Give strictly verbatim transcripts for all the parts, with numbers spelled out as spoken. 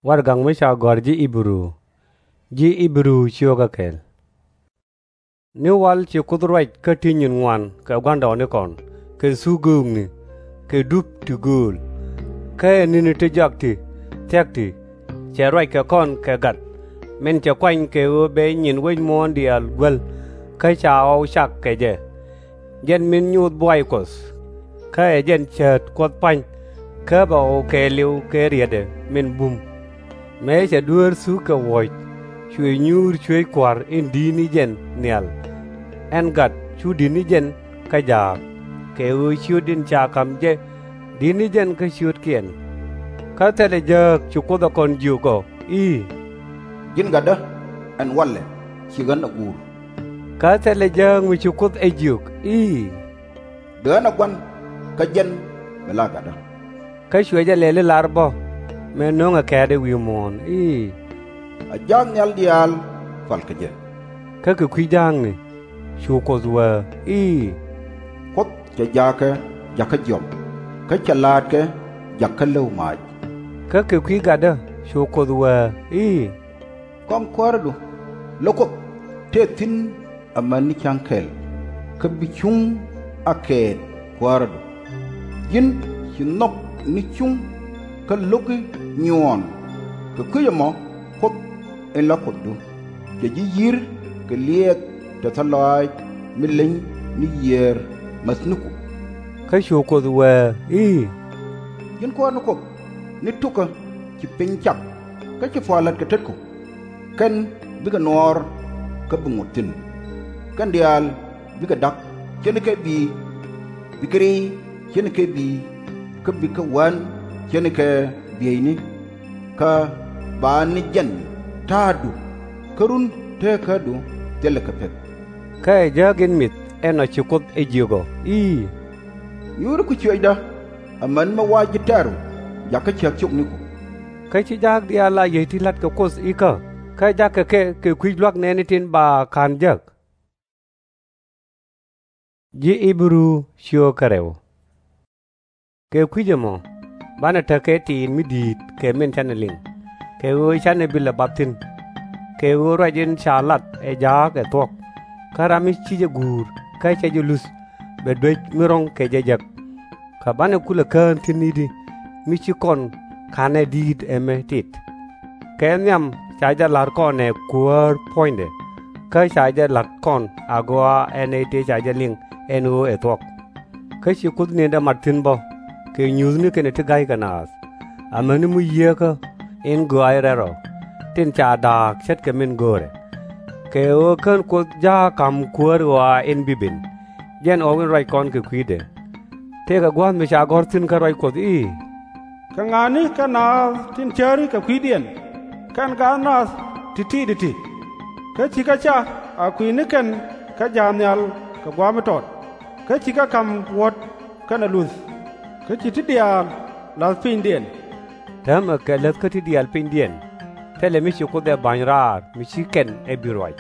Warɛgak mi ca gɔ̱a̱r ji̱ Ɣi-bɛ-ru. Ji̱ Ɣi-bɛ-ru ciökä kɛl. Ni wal ci Kuoth ruac kä ti nyin ŋuan kɛ gua̱ndɔɔŋnikɔn kɛ thuk göökni kɛ dup ti gööl. Kä ɛ ni̱ni ti jɔak ti thia̱k ti cɛ ruac kɛ kɔn kɛ gat, min cɛ kuany kɛ ɣöö bɛ nyin wec muɔ̱ɔ̱n diaal guäl, kä ca ɣɔw cak kɛ jɛ. Jɛn min nyuuth buay Kuɔth, kä ɛ jɛn cäät Kuɔth pa̱ny, kä bɛ ɣɔw kɛɛliw kɛ rietdɛ min bum. Mëë cɛ dueer thuk kɛ wuɔ̱c, cuɛ nyuur cuëëc Kua̱r in di̱t ni jɛn nhial. Ɛn gat cu di̱t ni jɛn kä jaak, kɛ ɣöö ciöt in ca ka̱m jɛ di̱t ni jɛn kä ciötkiɛn. Kä thilɛ jääk ci Kuoth ɛ kɔn jiök ɔ i̱, Ji̱n gatdä, ɛn walɛ ci ɣän ɛ guur. Kä thilɛ jääk mi ci Kuoth ɛ jiök i̱, Bi ɣän ɛ gua̱n, kä jɛn bi la gatdä. Kä cuɛ jɛ lɛli lar bä, mëë no̱ŋɛ kɛ̈ɛ̈t ɛ wi̱i̱ muɔ̱ɔ̱n i̱, A jaak nhial diaal pal kɛ jɛ. Kä kɛ kui̱ ja̱a̱kni cu Kuoth wee i̱, Kuoth cɛ jaakä jakä jiɔam, kä cɛ laatkɛ jakä läw maac. Kä kɛ kui̱ gatdä cu Kuoth wee i̱, Kɔm kuäärädu, lä Kuoth tëë thi̱n amäni cäŋ kɛl, kä bi cuŋ a kɛɛt kuäärädu. Ji̱n ci nhɔk ni cuŋ kä lo̱ki nyuɔɔn, kɛ kui̱c ɛmɔ Kuoth in la Kuothdu, cɛ ji̱ yi̱r kɛ liɛɛk tɛthä lɔaac mi leny ni yiëër mäthniku. Kä cu Kuoth wee i̱, Ji̱n Kuäär ni Kuoth ni tukä ci piny cak, kä ci pua̱a̱r la̱t kɛ tetku. Kɛn bikɛ nuɔɔr kä bi ŋot thi̱n. Kɛn diaal bikɛ da̱k ce̱tnikɛ bi̱i̱, bikɛ ri̱i̱ ce̱tnikɛ bi̱i̱, kä bikɛ wän ce̱tnikɛ bieyni. Kä ba ni jɛn ta̱a̱du, kä run teekädu thilɛ kɛ pek. Kä ɛ jääk in mi̱th ɛnɔ ci Kuoth ɛ jiök ɔ i̱, Nyuuri ku ciöcdä, amäni mi wa ji̱ tɛ̈ru jakä cäk ciökniku. Kä ci ja̱a̱k diaal a yiey ti la̱t kɛ Kuoth ikä, kä ja̱kɛ kɛ kɛ kui̱c lua̱k nɛɛni tin ba ka̱n jek. Ji̱ Ɣi-bɛ-ru ciökä rɛw. Kɛ kui̱c ɛmɔ banɛ tekɛ tiit mi di̱i̱t kɛ min canɛ liŋ, kɛ ɣöö canɛ bi lɛ bath thi̱n. Kɛ ɣöö ruac in ca lat ɛ ja̱a̱k ɛ thuɔ̱k, kä ram mi ci jɛ guur kä cɛ jɛ luth bɛ duec mi ro̱ŋ kɛ jɛ jek. Kä banɛ kulɛ kään thi̱n i̱di mi ci kɔn ka̱nɛ di̱i̱t ɛmɛ tit. Kɛ nhiam ca jɛ la̱t kɔn ɛ kuäär puɔ̱nydɛ, kä ca jɛ la̱t kɔn agɔaa ɛn nɛy tëë ca jɛ liŋ ɛn ɣöö ɛ thuɔ̱k. Kä ci Kuoth ni̱ndɛ mat thi̱n bä kɛ nyuuthni kɛnɛ ti ga̱ykɛ naath, amäni mi yieekä in gɔaaɛ rɛl rɔ, tin ca da̱a̱k ce̱tkɛ min go̱o̱rɛ. Kɛ ɣöö kän Kuoth ja̱a̱k ka̱m kuäär ɣɔaa in bi ben, jɛn ɣɔw in ruac kɔn kɛ kui̱dɛ. Tëëkɛ gua̱a̱th mi ca gɔ̱r thi̱n kä ruac Kuɔth i̱, Kɛ ŋa̱ni kɛ naath tin cääri kɛ kui̱diɛn, kɛn gaat nath ti̱ti̱ ti ti? Kä cikɛ ca a kui̱ni kɛn kä ja̱a̱k nhial kɛ gua̱a̱th mi tɔt, kä cikɛ ka̱m wuɔ̱t kɛnɛ luth, kä ci ti diaal la̱th pinydiɛn. Täämɛ kɛ läth kä ti diaal pinydiɛn, thilɛ mi ci Kuoth ɛ ba̱ny raar mi ci kɛn ɛ bi ruac.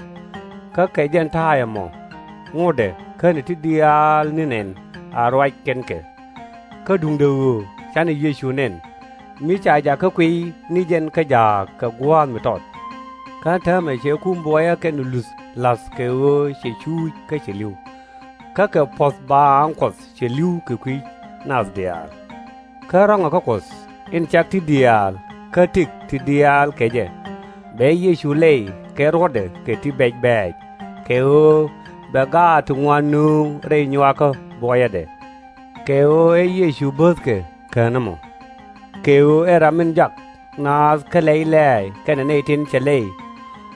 Kä kɛ jɛn ta̱a̱ ɛmɔ ŋotdɛ känɛ ti diaal ni nɛn a ruac kɛn kɛ. Kä duundɛ ɣöö canɛ Yecu nɛn, mi ca jakä kuiy ni jɛn kä ja̱a̱k kɛ gua̱a̱th mi tɔt. Kä täämɛ cɛ kum buɔyä kɛnɛ luth la̱th kɛ ɣöö cɛ cuuc kä cɛ li̱w. Kä kɛ puɔ̱th baaŋ Kuɔth cɛ li̱w kɛ kui̱ nath diaal. Kä rɔ̱ŋɛ kä Kuɔth in cak ti diaal kä tëk ti diaal kɛ jɛ, bɛ Yecu lɛy kɛ ruɔ̱tdɛ kɛ ti bɛc bɛ̈ɛ̈c, kɛ ɣöö bɛ gaat ti ŋuan nööŋ rɛy nyuakä buɔyädɛ. Kɛ ɣöö ɛ Yecu böthkɛ kään ɛmɔ. Kɛ ɣöö ɛ ram in jak naath kä lɛy lɛ̈ɛ̈y kɛnɛ nɛy tin cɛ lɛy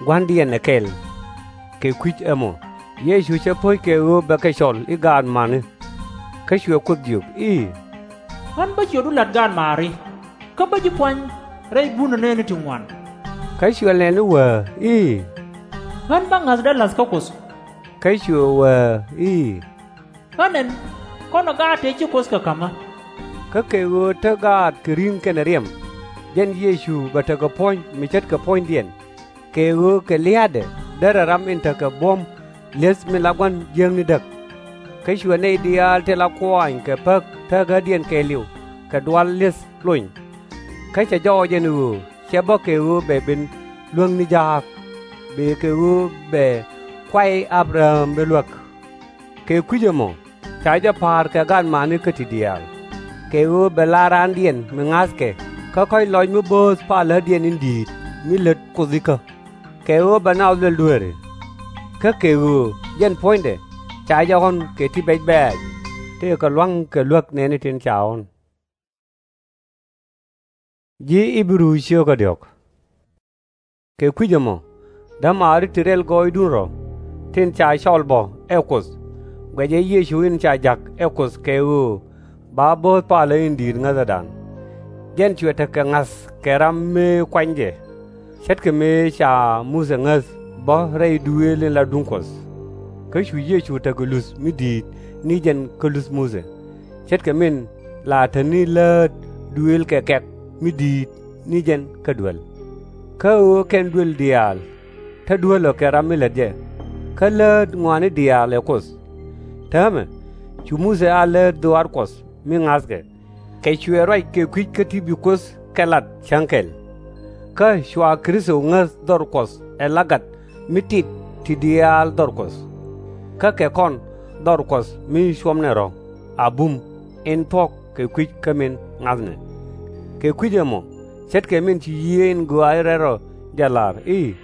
gua̱ndiɛn ɛ kɛl. Kɛ kui̱c ɛmɔ Yecu cɛ po̱c kɛ ɣöö bɛ kɛ cɔl i̱ gaat ma̱ni. Kä cuɛ Kuoth jiök i̱, Ɣän bä ciötdu la̱t gaatmaari, kä bä ji̱ puany rɛy bunä nɛɛni ti ŋuan. Kä cuɛ nɛn i̱ wee i̱, Ɣän bä ŋa̱thdä la̱th kä Kuoth. Kä cuɛ wee i̱, Ɣän ɛn, kɔnɛ gaat tëë ci Kuoth kɛ ka̱mä. Kä kɛ ɣöö te gaat kɛ ri̱ŋ kɛnɛ riɛm, jɛn Yecu bɛ tekɛ puɔ̱ny mi ce̱tkɛ puɔ̱nydiɛn. Kɛ ɣöö kɛ lia̱a̱dɛ derɛ ram in tekɛ buɔ̱m li̱eth min la gua̱n jiäkni däk. Kä cuɛ nɛy diaal tin la kuaany kɛ päk teekädiɛn kɛɛliw kɛ dual li̱eth lony. Kä cɛ jɔɔc ɛn ɣöö cɛ bä kɛ ɣöö bɛ ben luäŋni jaak, bëë kɛ ɣöö bɛ kuay Abraham bi luäk. Kɛ kui̱c ɛmɔ ca jɛ pa̱a̱r kɛ gaatmaanikä ti diaal, kɛ ɣöö bɛ lar raandiɛn mi ŋa̱thkɛ kä kɔ̱a̱c lɔc mi bööth palädiɛn in di̱i̱t mi lät Kuoth ikä, kɛ ɣöö bɛ naath luɛl dueeri. Kä kɛ ɣöö jɛn puɔ̱nydɛ ca jɛ ɣɔ̱n kɛ ti bɛc bɛ̈ɛ̈c, tëëkɛ lua̱ŋ kɛ luäk nɛɛni tin ca ɣɔ̱n. Kɛ kui̱c ɛmɔ, dämaari ti rɛl gɔɔydun rɔ̱, tin ca cɔl bɔ ɛ Kuoth, guɛcɛ Yecu in ca ja̱k ɛ Kuoth kɛ ɣöö ba bööth palä in di̱i̱t ŋäthädan. Jɛn cuɛ tekɛ ŋa̱th kɛ ram mëë kuany jɛ, ce̱tkɛ mëë ca Muthɛ ŋäth bä rɛy duëël in la duŋ Kuɔth. Kä cu Yecu tekɛ luth mi di̱i̱t ni jɛn kä luth Muthɛ, ce̱tkɛ min la te ni läät duëël kɛ kɛ̈k mi di̱i̱t ni jɛn kä duel. Kä ɣöö kɛn duel diaal te duäl ɔ kɛ ram mi lät jɛ, kä läät ŋɔaani diaal ɛ Kuoth. Täämɛ cu Muthɛ a läät dhɔaar Kuɔth mi ŋa̱thkɛ, kɛ cuɛ ruac kɛ kui̱c kä ti bi Kuoth kɛ lat cäŋ kɛl. Kä cua Kritho ŋäth dhɔr Kuɔth ɛ la gat mi tit ti diaal dhɔr Kuɔth. Kä kɛ kɔn dhɔr Kuɔth mi cuɔmnɛ rɔ̱ a bum in thuɔ̱k kɛ kui̱c kä min ŋa̱thnɛ. Kɛ kui̱c ɛmɔ, ce̱tkɛ min ci Yiëë in Gɔaa in Rɛl Rɔ jɛ lar i̱,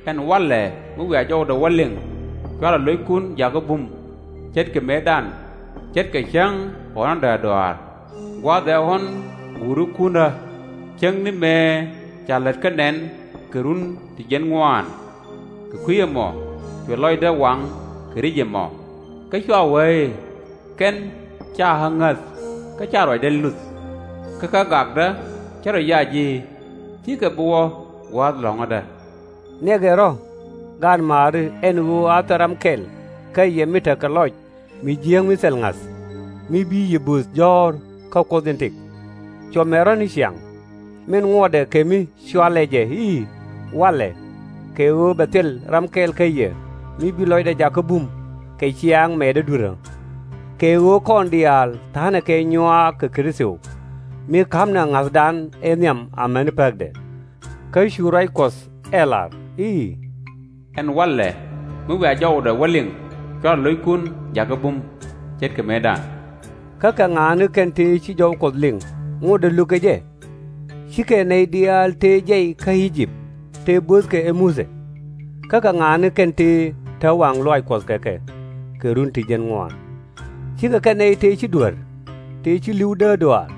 Ɛn walɛ mi wiaa jɔwdɛ wä liŋ, cuarɛ lo̱ckun jakä bum, ce̱tkɛ mëëdan, ce̱tkɛ cäŋ ɣɔ̱nädɛ a dɔaar, gua̱a̱th ɛ ɣɔ̱n guurikundä, cäŋ ni mëë ca lät kä nɛn kɛ run ti jiɛn ŋuaan. Kɛ kui̱ ɛmɔ cuɛ lɔcdä waŋ kɛ ri̱c ɛmɔ, kä cua wee i̱, Kɛn /ca ɣä ŋäth, kä /ca ruacdä luth. Kä kä gakdä cä rɔ yac i̱, Cikɛ bi wä gua̱a̱th lɔ̱ŋädä. Niɛkɛ rɔ̱, gaatmaari, ɛn ɣöö a thil ram kɛl kä yɛ mi tekɛ lɔc mi jiääk mi thil ŋa̱th, mi bi yɛ bööth jɔ̱ɔ̱r kä Kuoth in tëk. Cuɔmɛ rɔ̱ ni ciaŋ, min ŋuɔtdɛ kɛ mi cɔalɛ jɛ i̱, Walɛ, kɛ ɣöö bɛ thil ram kɛl kä yɛ mi bi lɔcdɛ jakä bum kɛ ciaaŋ mɛɛtdä dui̱rä. Kɛ ɣöö kɔn diaal tha̱a̱nɛ kɛ nyuaak kɛ Kritho, mi ka̱pnɛ ŋa̱thdan ëë nhiam amäni pääkdɛ. Kä cu ruac Kuɔth ɛ lar i̱, Ɛn walɛ mi wiaa jɔwdɛ wä liŋ, cuarɛ lo̱ckun jakä bum, ce̱tkɛ mëëdan. Kä kɛ ŋa̱a̱ni kɛn tëë ci jɔw Kuɔth liŋ ŋotdɛ lökɛ jɛ? /Cikɛ nɛy diaal tëë jiɛc kä I-jëp tëë böthkɛ ɛ Muthɛ? Kä kɛ ŋa̱a̱ni kɛn tëë te waŋ lɔaac Kuɔth kɛ kɛ kɛ run ti jiɛn ŋuaan? /Cikɛ kɛ nɛy tëë ci duer, tëë ci li̱w dääk dɔaar?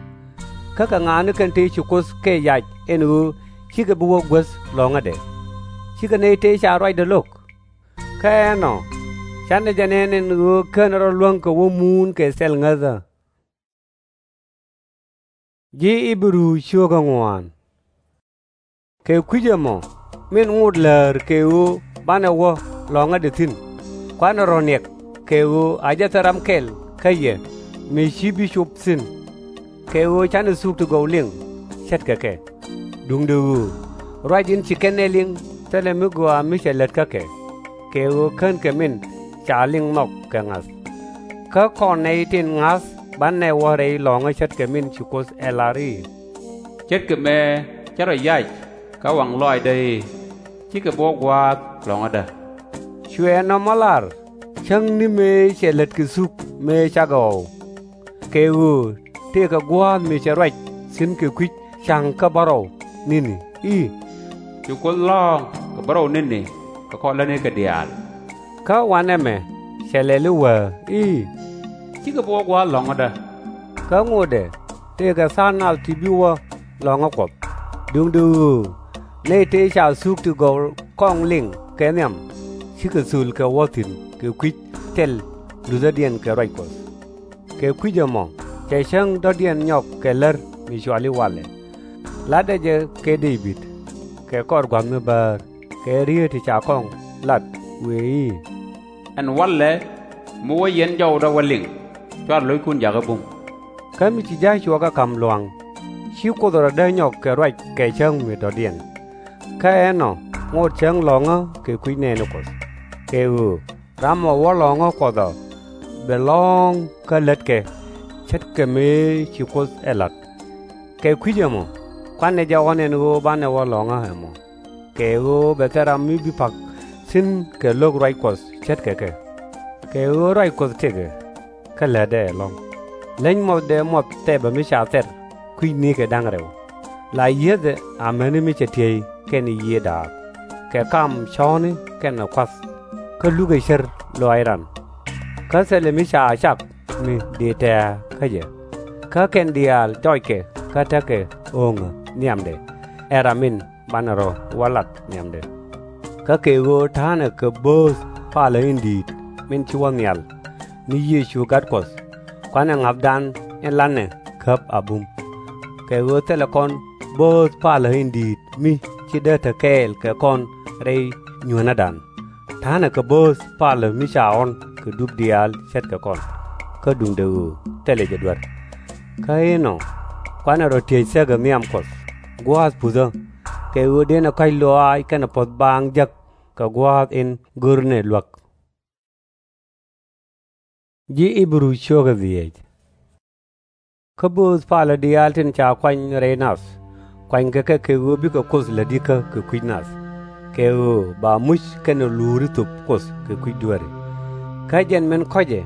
Kä kɛ ŋa̱a̱ni kɛn tëë ci Kuoth kɛ yac ɛn ɣöö cikɛ bi wä guäth lɔ̱ŋädɛ? /Cikɛ nɛy tëë ca ruacdɛ lo̱k? Kä ɛnɔ, canɛ jɛ nɛn ɛn ɣöö /kenɛ rɔ luäŋ kɛ wä muun kɛ thil ŋäthä. Kɛ kui̱c ɛmɔ, min ŋot läär kɛ ɣöö banɛ wä lɔ̱ŋädɛ thi̱n, kuanɛ rɔ̱ niɛk kɛ ɣöö a jɛ thil ram kɛl kä yɛ mi ci bi cop thi̱n, kɛ ɣöö canɛ thuk ti gɔw liŋ ce̱tkɛ kɛ. Duundɛ ɣöö ruac in ci kɛn nɛy liŋ thilɛ mi gɔaa mi cɛ lät kä kɛ, kɛ ɣöö /kenkɛ min ca liŋ nhɔk kɛ ŋa̱th. Kä kɔn nɛy tin ŋa̱th banɛ wä rɛy lɔ̱ŋä ce̱tkɛ min ci Kuoth ɛ lar i̱, Ce̱tkɛ mëë cä rɔ yac kä waŋ lɔaacdä i̱, Cikɛ bi wä gua̱a̱th lɔ̱ŋädä. Cuɛ nɔmɔ lar cäŋ ni mëë cɛ lät kɛ thuk mëë cakɛ ɣɔw, kɛ ɣöö tëëkɛ gua̱a̱th mi cɛ ruac thi̱n kɛ kui̱c ca̱ŋ kä bärɔw ni̱ni i̱, Cu Kuoth lɔ̱ɔ̱ŋ kɛ bärɔw ni̱ni kɛ kɔr lätnikɛ diaal. Kä wanɛmɛ cɛ lɛl i̱ wäär i̱, Cikɛ bi wä gua̱a̱th lɔ̱ŋädä. Kä ŋotdɛ tëëkɛ tha̱a̱ŋ nath ti bi wä lɔ̱ŋä Kuɔth. Duundɛ ɣöö nɛy tëë ca thuk ti gɔw kɔŋ liŋ kɛ nhiam cikɛ thöl kɛ wä thi̱n kɛ kui̱c thil luthädiɛn kɛ ruac Kuɔth. Kɛ kui̱c ɛmɔ cɛ cäŋ dɔ̱diɛn nyɔk kɛ lär mi cɔal i̱ Walɛ. Latdɛ jɛ kɛ Dee-bid kɛ kɔr gua̱th mi bäär kɛ riet ti ca kɔŋ lat wëë i̱, Ɛn walɛ mi wä yɛn jɔwdä wä liŋ, cuarɛ lo̱ckun jakä bum. Kä mi ci ja̱a̱c cuɔkä ka̱m lua̱ŋ, ci Kuoth rɔ̱ dee nyɔk kɛ ruac kɛ cäŋ mi dɔ̱diɛn. Kä ɛnɔ ŋot cäŋ lɔ̱ŋä kɛ kui̱ nɛɛni Kuɔth, kɛ ɣöö ram ɔ wä lɔ̱ŋä Kuɔth ɔ bɛ lɔ̱ŋ kä lätkɛ ce̱tkɛ mëë ci Kuoth ɛ la̱t. Kɛ kui̱c ɛmɔ kuanɛ jɛ ɣɔ̱n ɛn ɣöö banɛ wä lɔ̱ŋä ɛmɔ, kɛ ɣöö bɛ thil ram mi bi pa̱k thi̱n kɛ lo̱k ruac Kuɔth ce̱tkɛ kɛ. Kɛ ɣöö ruac Kuɔth tëkɛ, kä lätdɛ ɛlɔ̱ŋ. Leny muɔthdɛ muɔth tɛpɛ mi ca thɛr kui̱c nikɛ da̱ŋ rɛw. La yiethɛ amäni mi cɛ tiey kɛnɛ yiëë da̱a̱k, kɛ kam cɔ̱ɔ̱ni kɛnɛ kua̱th, kä lukɛ cär lɔaac ran. Kä thilɛ mi ca cak mi dëë tɛ̱̈ɛ̱̈ kä jɛ, kä kɛn diaal jɔckɛ kä tekɛ ɣööŋä nhiamdɛ, ɛ ram in banɛ rɔ̱ wä lat nhiamdɛ. Kä kɛ ɣöö ta̱a̱nɛ kɛ bööth palä in di̱i̱t min ci wä nhial, ni Yecu Gat Kuɔth, kuanɛ ŋa̱thdan in la̱tnɛ käp a bum. Kɛ ɣöö thilɛ kɔn bööth palä in di̱i̱t mi ci dee te kɛɛl kɛ kɔn rɛy nyuänädan. Ta̱a̱nɛ kɛ bööth palä mi ca ɣɔ̱n kɛ dup diaal ce̱tkɛ kɔn, kä duundɛ ɣöö thilɛ jɛ duer. Kä inɔ, kuanɛ rɔ̱ tiec thäk ɛ nhiam Kuɔth gua̱a̱th puthä, kɛ ɣöö dënɛ kɔ̱a̱c lɔaac kɛnɛ puɔ̱th baaŋ jek kɛ gua̱a̱th in görnɛ luäk. Ji̱ Ɣi-bɛ-ru ciökä dhieec. Kä bööth palä diaal tin ca kuany rɛy nath, kuanykɛ kɛ kɛ ɣöö bikɛ Kuoth lätikä kɛ kui̱c nath, kɛ ɣöö ba muc kɛnɛ luuri thöp Kuoth kɛ kui̱c dueeri. Kä jɛn min kɔ̱cɛ,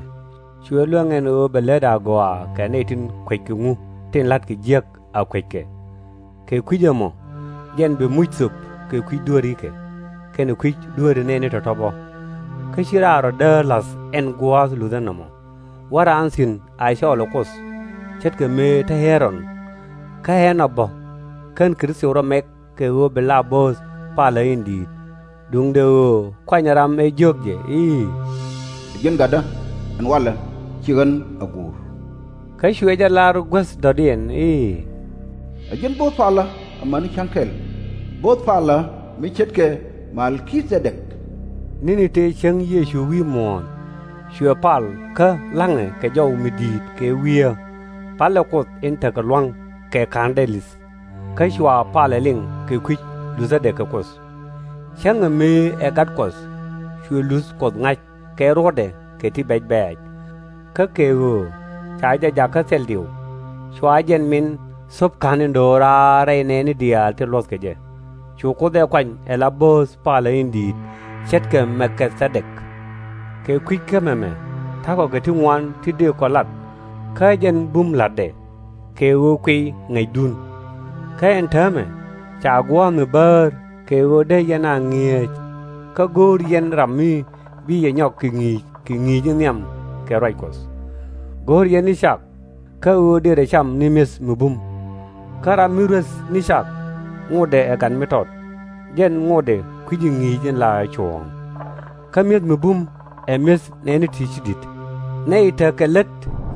cuɛ luäŋ ɛn ɣöö bɛ lät agɔaa kɛ nɛy tin kueckɛ ŋu tin la̱tkɛ jiäk a kueckɛ. Kɛ kui̱c ɛmɔ, jɛn bɛ muc thöp kɛ kui̱c dueerikɛ, kɛnɛ kui̱c dueeri nɛɛni tɔ̱tɔ̱ bä. Kä /ci raan rɔ̱ däär la̱th ɛn gua̱a̱th luthä nɔmɔ, wä raan thi̱n a cɔɔl ɛ Kuoth, ce̱tkɛ mëë te Ɛ-ron. Kä ɛ nɔ bä, kän Kritho rɔ mɛk kɛ ɣöö bi la bööth palä in di̱i̱t, duundɛ ɣöö kuanyɛ ram ëë jiök jɛ i̱, Ɛ ji̱n gatdä, ɛn walɛ ci ɣän a guur. Kä cuɛ jɛ lar guäth dɔ̱diɛn i̱, Ɛ ji̱n bööth palä amäni cäŋ kɛl, bööth palä mi ce̱tkɛ Mɛlkithɛdɛk. Ni̱ni tëë cäŋ Yecu wi̱i̱ muɔ̱ɔ̱n, cuɛ pal kä la̱ŋɛ kɛ jɔw mi di̱i̱t kɛ wiee, palɛ Kuoth in tekɛ lua̱ŋ kɛ ka̱n dɛl li̱th, kä cua palɛ liŋ kɛ kui̱c luthädɛ kɛ Kuoth. Cäŋɛ mëë ɛ Gat Kuɔth, cuɛ luth Kuɔth ŋa̱c kɛ ruɔ̱tdɛ kɛ ti bɛc bɛ̈ɛ̈c. Kä kɛ ɣöö ca jɛ jakä thil diw, cua jɛn min thöp ka̱n in do̱raar rɛy nɛɛni diaal ti luɔ̱thkɛ jɛ. Cu Kuoth ɛ kuany ɛ la bööth palä in di̱i̱t ce̱tkɛ Mɛlkithɛdɛk. Kɛ kui̱c kä mɛmɛ, ta̱kɔ kɛ ti ŋuan ti dëë kɔ lat, kä jɛn bum la̱tdɛ, kɛ ɣöö kuiy ŋäcdun. Kä ɛn täämɛ, ca gua̱a̱th mi bäär kɛ ɣöö dee yɛn a ŋi̱eec, kä go̱o̱r yɛn ram mi bi yɛ nyɔk kɛ ŋi̱i̱c kɛ ŋi̱i̱c in nhiam kɛ ruac Kuɔth. Go̱o̱r yɛn ni cak, kä ɣöö dërɛ cam ni mi̱eth mi bum. Kä ram mi rueth ni cak, ŋotdɛ ɛ gat mi tɔt, jɛn ŋotdɛ kui̱ci ŋi̱i̱c in la cuɔ̱ɔ̱ŋ. Kä mi̱eth mi bum ɛ mi̱eth nɛɛni ti ci di̱t. Nɛy tekɛ lät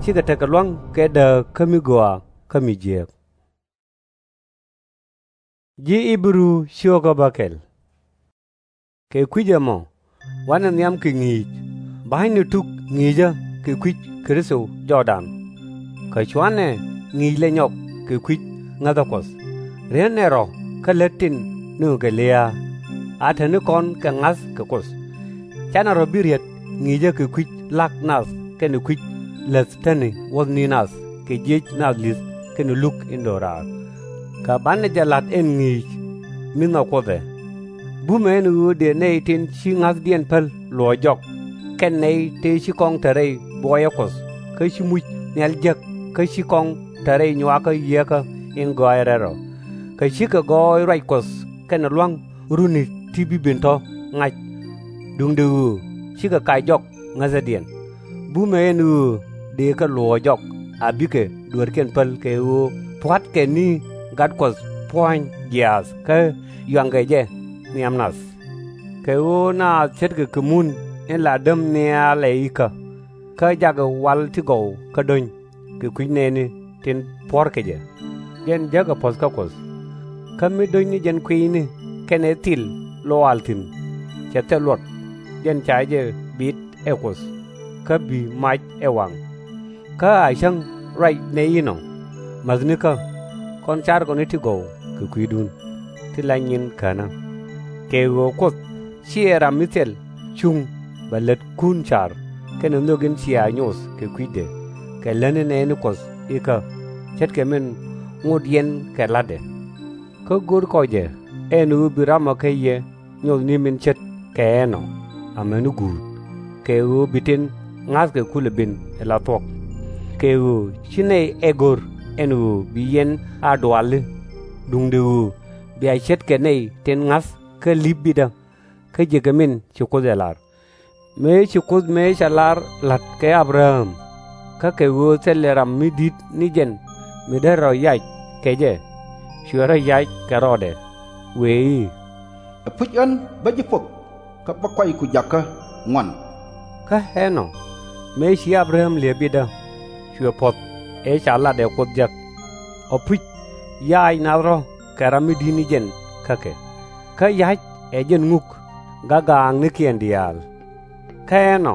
cikɛ tekɛ lua̱ŋ kɛ dääk kä mi gɔaa kä mi jiääk. Ji̱ Ɣi-bɛ-ru ciökä bäkɛl. Kɛ kui̱c ɛmɔ, wanɛ nhiam kɛ ŋi̱i̱c, ba̱ny ni tuk ŋi̱i̱cä kɛ kui̱c Kritho jɔwdan. Kä cuanɛ ŋi̱i̱c lɛ nyɔk kɛ kui̱c ŋäthä Kuɔth, rietnɛ rɔ̱ kä lät tin nööŋkɛ lia̱a̱, a te ni kɔn kɛ ŋa̱th kɛ Kuoth. Canɛ rɔ̱ bi riet ŋi̱i̱cä kɛ kui̱c la̱k nath kɛnɛ kui̱c läth tätni wuɔ̱thni nath kɛ jiëc nath li̱th kɛnɛ luk in do̱raar. Kä banɛ jɛ la̱t ɛn ŋi̱i̱c mi nhɔk Kuoth ɛ. Bumɛ ɛn ɣöö dëë nɛy tin ci ŋa̱thdiɛn päl luɔ̱ɔ̱c jɔk, kɛn nɛy tëë ci kɔŋ te rɛy buɔyä Kuɔth kä ci muc nhial jek kä ci kɔŋ te rɛy nyuakä Yieekä in gɔaaɛ rɛl rɔ. Kä cikɛ gɔɔy ruac Kuɔth kɛnɛ lua̱ŋ runi ti bi ben tɔ̱ ŋa̱c. Duundɛ ɣöö cikɛ kac jɔk ŋäthädiɛn. Bumɛ ɛn ɣöö dëë kɛ luɔ̱ɔ̱c jɔk a bikɛ dueerkiɛn päl kɛ ɣöö pua̱tkɛ ni Gat Kuɔth puɔ̱ny jiaath kä yuaŋkɛ jɛ nhiam nath. Kɛ ɣöö naath ce̱tkɛ kɛ mun in la däm nhial ɛ ikä, kä jakɛ wal ti gɔw kä do̱ny kɛ kui̱c nɛɛni tin puɔ̱rkɛ jɛ, jɛn jäkɛ puɔ̱th kä Kuoth. Kä mi do̱ny ni jɛn kuiyni kɛnɛ thil lɔal thi̱n cɛ thil luɔt, jɛn ca jɛ bit ɛ Kuoth, kä bi mac ɛ waŋ. Kä a cäŋ ruac nɛy inɔ, mäthnikä, kɔn carkɔ ni ti gɔw kɛ kui̱dun, ti la nyin känä. Kɛ ɣöö Kuoth /ciɛ ram mi thil cuŋ bɛ lätkun car kɛnɛ nhök in cia nyoth kɛ kui̱dɛ kɛ lätni nɛɛni Kuɔth ikä, ce̱tkɛ min ŋot yɛn kɛ la̱tdɛ. Kä go̱r kɔ jɛ ɛn ɣöö bi ramɔ kä yɛ nyoth ni min ce̱tkɛ ɛnɔ amäni guut, kɛ ɣöö bi tin ŋa̱thkɛ kulɛ ben ala thuɔ̱k. Kɛ ɣöö /ci nɛy ɛ go̱r ɛn ɣöö bi yɛn a duali, duundɛ ɣöö bia ce̱tkɛ nɛy tin ŋa̱th kä li̱p bitdä, kä jiäkɛ min ci Kuoth ɛ lar. Mëë ci Kuoth mëë cɛ lar la̱t kɛ Abraham, kä kɛ ɣöö thilɛ ram mi di̱t ni jɛn mi dee rɔ yac kɛ jɛ, cuɛ rɔ yac kɛ rɔɔdɛ, wëë i̱, Ɛpuc ɣän bä ji̱ poth, kä bä kuayku jakä ŋuan. Kä ɛnɔ, mëë ci Abraham li̱ep bitdä, cuɛ puɔ̱th ëë ca lat ɛ Kuoth jek. Ɛpuc, yac naath rɔ̱ kɛ ram mi di̱t ni jɛn kä kɛ, kä ya̱c ɛ jɛn ŋuk gak-gaaknikiɛn diaal. Kä ɛnɔ,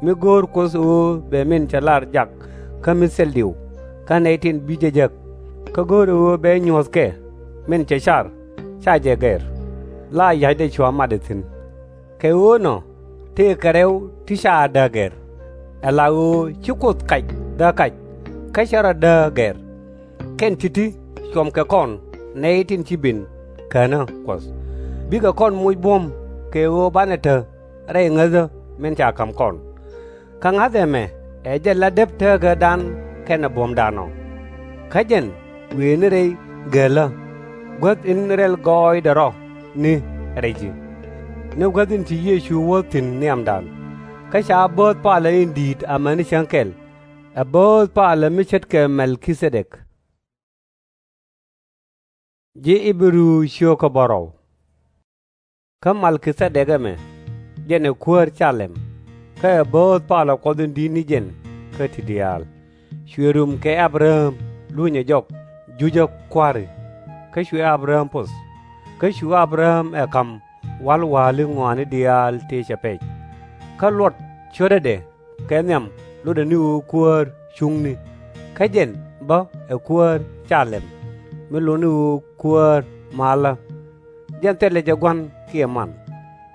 mi go̱o̱r Kuoth ɣöö bɛ min cɛ lar jak kä mi thil diw kä nɛy tin bi jɛ jek, kä go̱o̱rɛ ɣöö bɛ nyuɔ̱thkɛ min cɛ car, /ca jɛ gɛr, la ya̱cdɛ cua mat ɛ thi̱n. Kɛ ɣöö nɔ, tëëkɛ rɛw ti /ca dääk gɛr, ala ɣöö ci Kuoth kac dääk kac, kä /cɛ rɔ dääk gɛr. Kɛn ti̱ti̱ cuɔmkɛ kɔn nɛy tin ci ben känä Kuɔth, bikɛ kɔn moc buɔ̱m kɛ ɣöö banɛ te rɛy ŋäthä min ca ka̱m kɔn. Kä ŋa̱th ɛmɛ ɛ jɛn la dep tääkädan kɛnɛ buɔ̱mdan ɔ. Kä jɛn wëë ni rɛy gälä, guäth in rɛl gɔɔydɛ rɔ ni rɛy ji̱, ni guäth in ci Yecu wuɔ̱th thi̱n nhiamdan, kä ca bööth palä in di̱i̱t amäni cäŋ kɛl, ɛ bööth palä mi ce̱tkɛ Mɛlki-thɛdɛk. Kä Malki-thɛdɛk ɛmɛ, jɛn ɛ kuäär Ca-lɛm, kä ɛ bööth palä Kuɔth in di̱t ni jɛn kä ti diaal, cuɛ rum kɛ A-bɛ-ram lunyɛ jɔk jucä kua̱ri, kä cuɛ A-bɛ-ram poth, kä cu A-bɛ-ram ɛ ka̱m wa̱l wa̱a̱li ŋɔaani diaal tëë cɛ pɛc. Kä luɔt cio̱tädɛ kɛ nhiam lotdɛ ni ɣöö kuäär cuŋni, kä jɛn bä ɛ kuäär Ca-lɛm, mi lot ni ɣöö kuäär malä. Jɛn thilɛ jɛ gua̱n kiɛ man,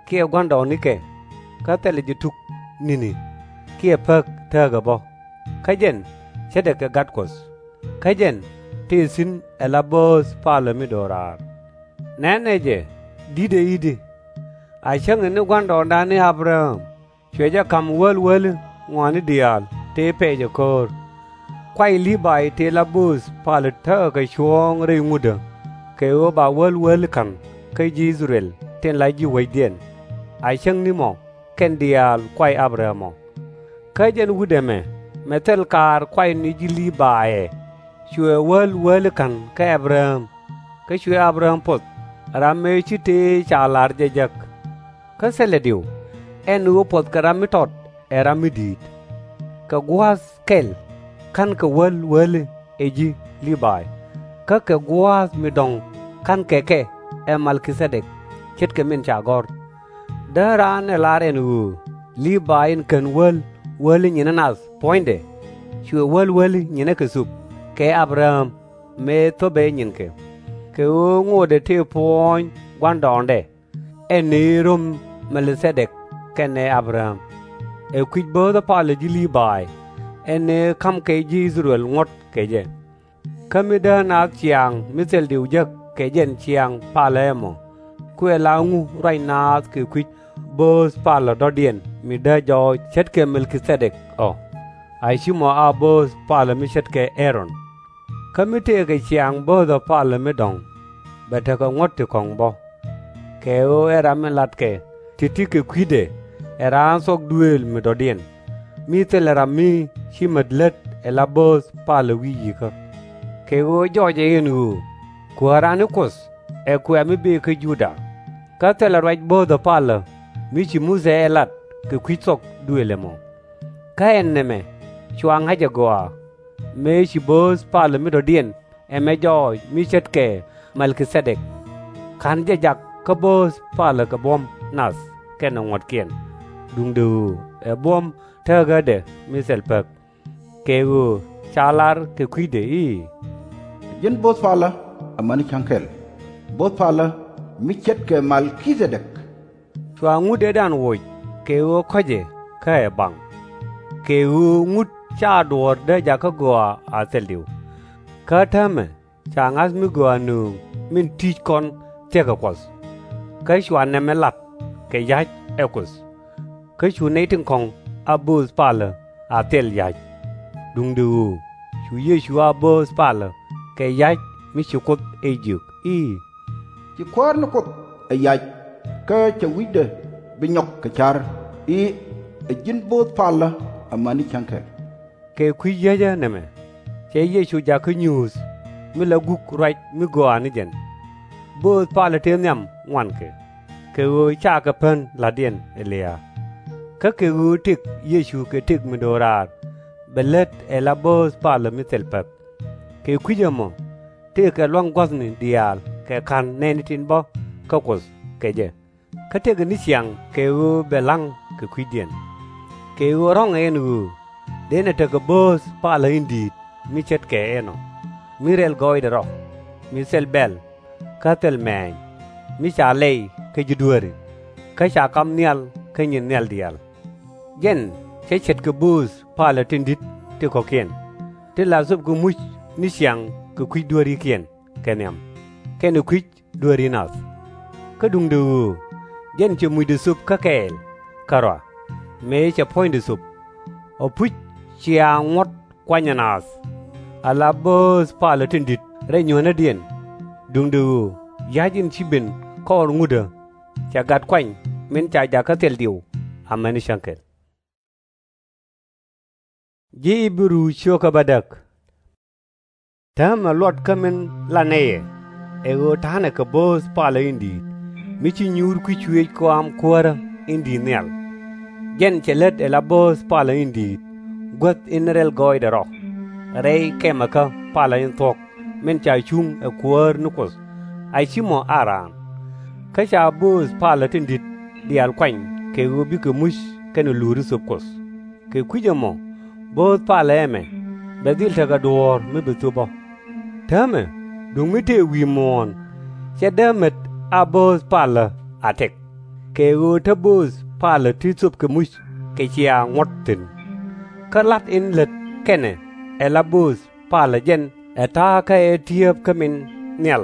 kiɛ gua̱ndɔɔŋnikɛ, kä thilɛ jɛ tuk ni̱ni, kiɛ päk tääkä bä, kä jɛn ce̱tdɛ kɛ Gat Kuɔth. Kä jɛn tëë thi̱n ala bööth palä mi do̱raar. Nɛnɛ jɛ, di̱tɛ i̱di, a cäŋ in ni gua̱ndɔɔŋdan ni A-bɛ-ram, cuɛ jɛ ka̱m wäl wäli ŋɔaani diaal tëë pɛc ɛ ko̱o̱r. Kuay Lii-bay tëë la bööth palä tekɛ kɛ cuɔ̱ɔ̱ŋ rɛy ŋutdä, kɛ ɣöö ba wäl wäli ka̱n kä ji̱ I-thɛ-rɛl tin la ji̱ wecdiɛn, a cäŋ ni mɔ kɛn diaal kuay A-bɛ-ram ɔ. Kä jɛn wut ɛmɛ, mɛ thil kaar kuay ni ji̱ Lii-bay ɛ, cuɛ wäl wäli ka̱n kä A-bɛ-ram, kä cuɛ A-bɛ-ram poth, ram ëë ci tëë ca la̱r jɛ jek. Kä thilɛ diw, ɛn ɣöö puɔ̱th kɛ ram mi tɔt ɛ ram mi di̱i̱t. Kɛ gua̱a̱th kɛl ka̱nkɛ wäl wäli ɛ ji̱ Lii-bay, kä kɛ gua̱a̱th mi dɔ̱ŋ ka̱nkɛ kɛ ɛ Mɛlki-thɛdɛk, ce̱tkɛ min ca gɔ̱r. Dee raan ɛ lar ɛn ɣöö Lii-bay in kän wäl wäli nyinä nath puɔ̱nydɛ, cuɛ wäl wäli nyinä kɛ thöp kɛ A-bɛ-ram mëë thöpɛ nyinkɛ, kɛ ɣöö ŋotdɛ tëë puɔ̱ɔ̱ny gua̱ndɔɔŋdɛ, ɛn ëë röm Mɛlki-thɛdɛk kɛnɛ A-bɛ-ram. Ɛ kui̱c bööthä palä ji̱ Lii-bay, ɛn ëë ka̱mkɛ ji̱ I-thɛ-rɛl ŋuɔ̱t kɛ jɛ. Kä mi dee naath ciaŋ mi thil diw jek kɛ jɛn ciaŋ palä ɛmɔ, kuɛ la ŋu ruac naath kɛ kui̱c bööth palä dɔ̱diɛn mi dee jɔɔc ce̱tkɛ Mɛlki-thɛdɛk ɔ, a /ci mɔ a bööth palä mi ce̱tkɛ Ä-ron. Kä mi tëëkɛ ciaŋ bööthä palä mi dɔ̱ŋ, bɛ tekɛ ŋuɔ̱t ti kɔ̱ŋ bä. Kɛ ɣöö ɛ ram in latkɛ ti̱ti̱ kɛ kui̱dɛ ɛ raan thuɔ̱k duëël mi dɔ̱diɛn, mi thilɛ ram mi ci mät lät ala bööth palä wi̱i̱ yi̱kä. Kɛ ɣöö jɔɔcɛ ɛn ɣöö Kuääran ni Kuoth ɛ kuɛ mi bëë kä Juda, kä thilɛ ruac bööthä palä mi ci Muthɛ ɛ lat kɛ kui̱c thuɔ̱k duëël ɛmɔ. Kä ɛn nɛmɛ cua ŋa̱c agɔaa, mëë ci bööth palä mi dɔ̱diɛn ɛmɛ jɔɔc mi ce̱tkɛ Mɛlki-thɛdɛk, /ka̱n jɛ jak kä bööth palä kɛ buɔ̱m nath kɛnɛ ŋuɔ̱tkiɛn, duundɛ ɣöö ɛ buɔ̱m tääkädɛ mi thil pek, kɛ ɣöö ca lar kɛ kui̱dɛ i̱, Ji̱n bööth palä amäni cäŋ kɛl, bööth palä mi ce̱tkɛ Mɛlki-thɛdɛk. Cua ŋut ëëdan woc kɛ ɣöö kɔ̱cɛ kä ɛ baŋ, kɛ ɣöö ŋut /ca duɔ̱ɔ̱r dee jakä gɔaa a thil diw. Kä täämɛ Ca ŋa̱th mi gɔaa nööŋ min ti̱i̱c kɔn thia̱kɛ Kuɔth. Kä cua nɛmɛ lat kɛ ya̱c ɛ Kuoth. Kä cu nɛy tin kɔ̱ŋ a bööth palä a thil ya̱c. Duundɛ ɣöö cu Yecu a bööth palä kɛ ya̱c mi ci Kuoth ɛ jiök i̱, Ci Kuäär ni Kuoth ɛ yac, kä cɛ wi̱cdɛ bi nyɔk kɛ ca̱r i̱, Ɛ ji̱n bööth palä amäni cäŋ kɛl. Kɛ kui̱ yiecä nɛmɛ, cɛ Yecu jakä nyuuth mi la guk ruac mi gɔaa ni jɛn. Bööth palä tëë nhiam ŋuankɛ, kɛ ɣöö cakɛ pän la̱tdiɛn ɛ lia̱a̱. Kä kɛ ɣöö tëk Yecu kɛ tëk mi do̱raar, bɛ lät ɛ la bööth palä mi thil päk. Kɛ kui̱c ɛmɔ, tëëkɛ lua̱ŋ gua̱thni diaal kɛ ka̱n nɛɛni tin bä kä Kuoth kɛ jɛ. Kä tëëkɛ ni ciaŋ kɛ ɣöö bɛ la̱ŋ kɛ kui̱diɛn. Kɛ ɣöö rɔ̱ŋɛ ɛn ɣöö dënɛ tekɛ bööth palä in di̱i̱t mi ce̱tkɛ ɛnɔ, mi rɛl gɔɔydɛ rɔ, mi thil bɛl, kä thil mɛ̈ɛ̈ny, mi ca lɛy kä ji̱ dueeri, kä ca kam nhial kä nyin nhial diaal. Jɛn cä ce̱tkɛ bööth palä tin di̱t ti kɔ̱kiɛn, tin la thöpkɛ muc ni ciaŋ kɛ kui̱c dueerikiɛn kɛ nhiam, kɛnɛ kui̱c dueeri nath. Kä duundɛ ɣöö jɛn cɛ mucdɛ thöp kä kɛɛl kärɔa, mëë cɛ puɔ̱nydɛ thöp, ɔ puc cia ŋuɔ̱t kuanyɛ naath. Ala bööth palä tin di̱t rɛy nyuɔ̱nädiɛn, duundɛ ɣöö ya̱c in ci ben kɔɔr ŋutdä, cɛ gat kuany min ca jakä thil diw amäni cäŋ kɛl. Ji̱ Ibru cio̱kä bädäk. Täämɛ luɔt kä min la nɛy ɛ, ɛ ɣöö ta̱a̱nɛ kɛ bööth palä in di̱i̱t, mi ci nyuur kui̱ cuëëc kɔam Kuäärä in di̱i̱t nhial. Jɛn cɛ lät ɛ la bööth palä in di̱i̱t, guäth in rɛl gɔɔydɛ rɔ, rɛy kɛmɛkä palä in thuɔ̱k, min ca cuŋ ɛ Kuäär ni Kuoth, a ci mɔ a raan. Kä ca bööth palä tin di̱t diaal kuany kɛ ɣöö bikɛ muc kɛnɛ luuri thöp Kuɔth. Kɛ kui̱c ɛmɔ, bööth palä ɛmɛ bɛ dhil tekɛ duɔ̱ɔ̱r mi bi thöp ɔ. Täämɛ, duŋ mi tëë wi̱i̱ muɔ̱ɔ̱n, /cɛ dee met a bööth palä a tɛk, kɛ ɣöö te bööth palä ti thöpkɛ muc kɛ cia ŋuɔ̱t thi̱n. Kä la̱t in lät kɛnɛ ɛ la bööth palä jɛn ɛ ta̱a̱ kä ɛ ti̱eep kä min nhial.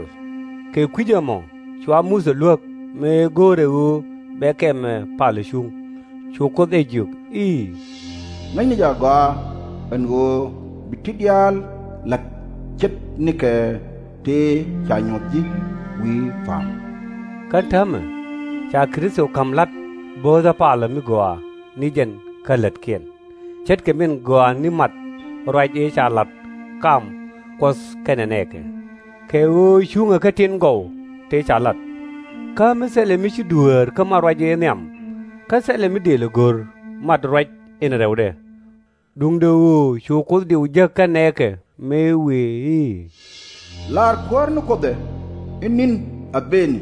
Kɛ kui̱c ɛmɔ cua Muthɛ luäk mëë go̱o̱rɛ ɣöö bɛ kɛmɛ palä cuŋ. Cu Kuoth ɛ jiök i̱, Ŋäcni jɛ agɔaa ɛn ɣöö bi ti diaal la̱t ce̱tnikɛ tëë ca nyuɔ̱th ji̱ wi̱i̱ pa̱a̱m. Kä täämɛ, ca Kritho ka̱m la̱t bööthä palä mi gɔaa ni jɛn kä lätkiɛn, ce̱tkɛ min gɔaa ni mat ruac ëë ca la̱t kam Kuɔth kɛnɛ nɛɛkɛ, kɛ ɣöö cuŋɛ kä tin gɔw tëë ca la̱t. Kä mi thilɛ mi ci dueer kä mat ruac ëë nhiam, kä thilɛ mi dëëlɛ go̱r mat ruac in rɛwdɛ. Duundɛ ɣöö cu Kuoth diw jek kä nɛɛkɛ mëë wëë i̱, La̱r Kuäär ni Kuoth ɛ, i̱ ni̱n a bëëni,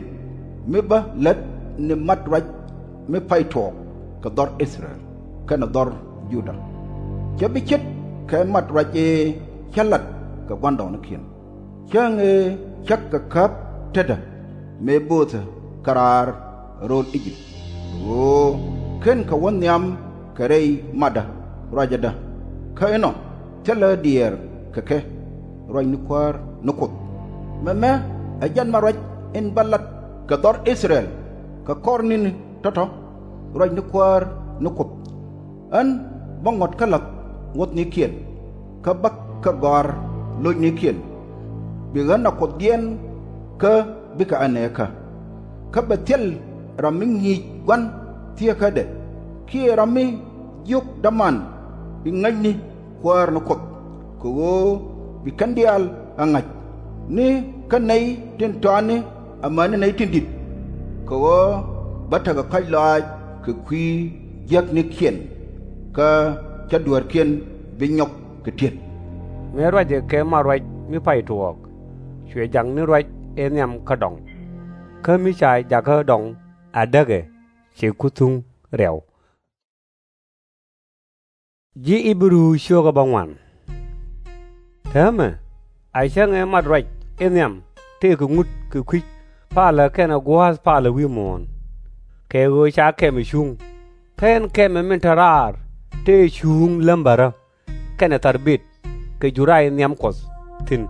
mi bä lät ni mat ruac mi pay tuɔɔk kɛ dhɔr I-thɛ-rɛl kɛnɛ dhɔr Juda. /Cɛ bi ce̱tkɛ mat ruac ëë cä la̱t kɛ gua̱ndɔɔŋnikiɛn, cäŋ ëë cäk kɛ käp tetdä mëë bööthɛ kɛ raar ro̱l I-jëp, ɣöö /kenkɛ wä nhiam kɛ rɛy matdä ruacädä, kä inɔ thilɛ diɛɛr kɛ kɛ ruac ni Kuäär ni Kuoth. Mɛmɛ ɛ jɛn mat ruac in bä la̱t kɛ dhɔr I-thɛ-rɛl kɛ kɔr ni̱ni tɔ̱tɔ̱, ruac ni Kuäär ni Kuoth. Ɣän bä ŋuɔ̱t kä la̱th ŋuɔ̱thnikiɛn, kä bäkɛ gɔ̱a̱r lo̱cnikiɛn. Bi ɣän a Kuothdiɛn kä bikɛ ɛ nɛɛkä. Kä bɛ thil ram mi ŋi̱i̱c gua̱n thieekädɛ, kiɛ ram mi jiök däman i̱ ŋäcni Kuäär ni Kuoth, kɛ ɣöö bi kɛn diaal ɛ ŋa̱c, ni kä nɛy tin tɔatni amäni nɛy tin di̱t, kɛ ɣöö bä tekɛ kɔ̱a̱c lɔaac kɛ kui̱ jiäknikiɛn, kä /cä dueerkiɛn bi nyɔk kɛ ti̱et. Mëë ruacɛ kɛ mat ruac mi pay tuɔɔk, cuɛ jak ni ruac ëë nhiam kä dɔŋ. Kä mi ca jakä dɔŋ a däkɛ, cɛ ku thuŋ rɛw. Ji̱ Ibru cio̱kä bäŋuan. Täämɛ, a cäŋ ëë mat ruac in nhiam tëëkɛ ŋut kɛ kui̱c palä kɛnɛ gua̱a̱th palä wi̱i̱ muɔ̱ɔ̱n, kɛ ɣöö ca kɛmɛ cuŋ, kä ɛn kɛmɛ min te raar tëë cuŋ lämbärä kɛnɛ tharbit kɛ juray nhiam Kuɔth thi̱n.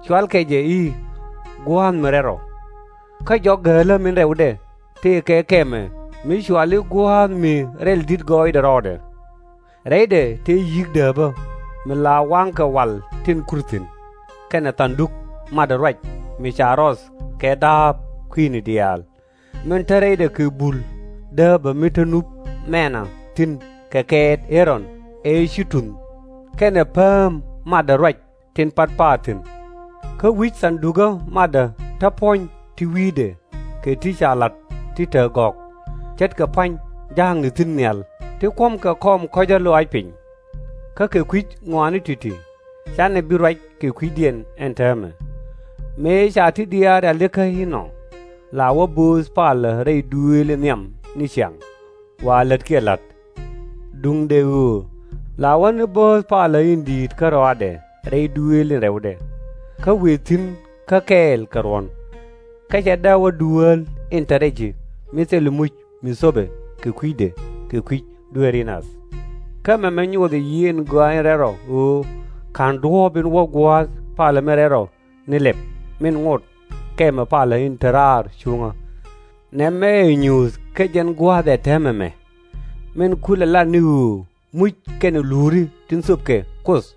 cualkɛ jɛ i̱ Gua̱a̱th mi Rɛl Rɔ. Kä jɔk gäälä min rɛwdɛ tëëkɛ kɛmɛ mi cuali Gua̱a̱th mi Rɛl Di̱t Gɔɔydɛ Rɔɔdɛ. Rɛydɛ tëë yi̱k dääpä mi la waŋkɛ wal tin kur thi̱n, kɛnɛ thanduk matdä ruac mi ca rɔth kɛ da̱a̱p kui̱ni diaal, min te rɛydɛ kɛ bul dääpä mi te nup mɛnä thi̱n kɛ kɛɛt Ä-ron ëë ci tunh, kɛnɛ pääm matdä ruac tin pat pa̱a̱r thi̱n. Kä wi̱c thandukä matdä te puɔ̱ny ti wi̱i̱dɛ kɛ ti ca la̱t ti te gɔ̱k, ce̱tkɛ pua̱ny ja̱a̱kni thi̱n nhial ti kuɔ̱mkɛ kɔm kɔ̱cä lɔaac piny. Kä kɛ kui̱c ŋɔaani ti̱ti̱, canɛ bi ruac kɛ kui̱cdiɛn ɛn täämɛ. Mëë ca ti diaal rialikä inɔ, la wä bööth palä rɛy duëël in nhiam ni ciaŋ, wa lätkiɛ la̱t. Duundɛ ɣöö la wä ni bööth palä in di̱i̱t kärɔaadɛ rɛy duëël in rɛwdɛ, kä wëë thi̱n kä kɛɛl kɛ ruɔ̱n. Kä cɛ dee wä dueel in te rɛc ji̱ mi thil muc mi thöpɛ kɛ kui̱dɛ kɛ kui̱c dueeri nath. Kä mɛmɛ nyothɛ yiëë in Gɔaa in Rɛl Rɔ ɣöö /ka̱n duɔ̱ɔ̱p in wä gua̱a̱th palä mi rɛl rɔ ni lɛp min ŋot kɛmɛ palä in te raar cuŋä. Nɛmɛ ɛ nyuuth kä jɛn gua̱a̱th ɛ täämɛ mɛ, min kulɛ lat ni ɣöö muc kɛnɛ luuri tin thöpkɛ Kuoth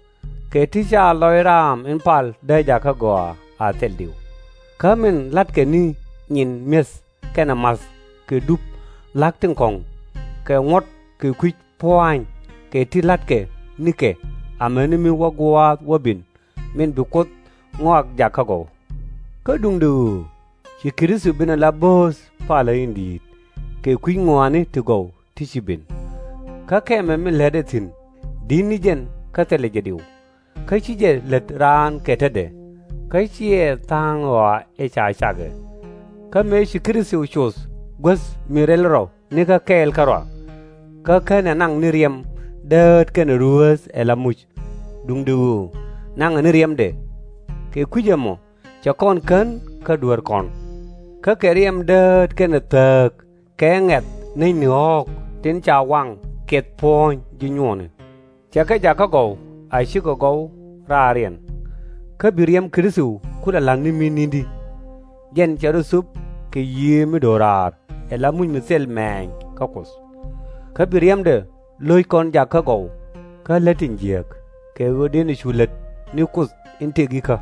kɛ ti ca lɔc raam in pal dee jakä gɔaa a thil diw. Kä min la̱tkɛ ni nyin mi̱eth kɛnɛ ma̱th kɛ dup la̱k tin kɔ̱ŋ, kɛ ŋuɔ̱t kɛ kui̱c pua̱a̱ny kɛ ti la̱tkɛ nikɛ amäni mi wä gua̱a̱th wä bi̱n, min bi Kuoth ŋɔak jakä gɔw. Kä duundɛ ɣöö ci Kritho ben ala bööth palä in di̱i̱t kɛ kui̱c ŋɔaani ti gɔw ti ci ben. Kä kɛmɛ min lätdɛ thi̱n, di̱t ni jɛn kä thilɛ jɛ diw, kä /ci jɛ lät raan kɛ tetdɛ, kä /ciɛ tha̱a̱ŋ ɣɔaa ëë ca cakɛ. Kä mëë ci Kritho coth guäth mi rɛl rɔ nikä kɛɛl kärɔa, kä /kenɛ naŋ ni riɛm dääät kɛnɛ ruääth ala muc, duundɛ ɣöö naŋɛ ni riɛmdɛ. Kɛ kui̱c ɛmɔ cɛ kɔn kän kä dueerkɔn, kä kɛ riɛm dääät kɛnɛ thääk kɛ ŋɛ̈th nɛy ni ɣɔ̱ɔ̱k tin ca waŋ kiɛth puɔ̱ɔ̱ny ji̱ nyuɔɔni. Cɛ kɛ jakä gɔw a cikɛ gɔw raariɛn. Kä bi riɛm Kritho kulɛ la̱t ni mi̱n ni̱ndi, jɛn cɛ rɔ thöp kɛ Yiëë mi do̱raar ala muc mi thil mɛ̈ɛ̈ny kä Kuoth. Kä bi riɛmdɛ lo̱c kɔn jakä gɔw kä lät tin jiääk, kɛ ɣöö dënɛ cu lät ni Kuoth in tëk ikä.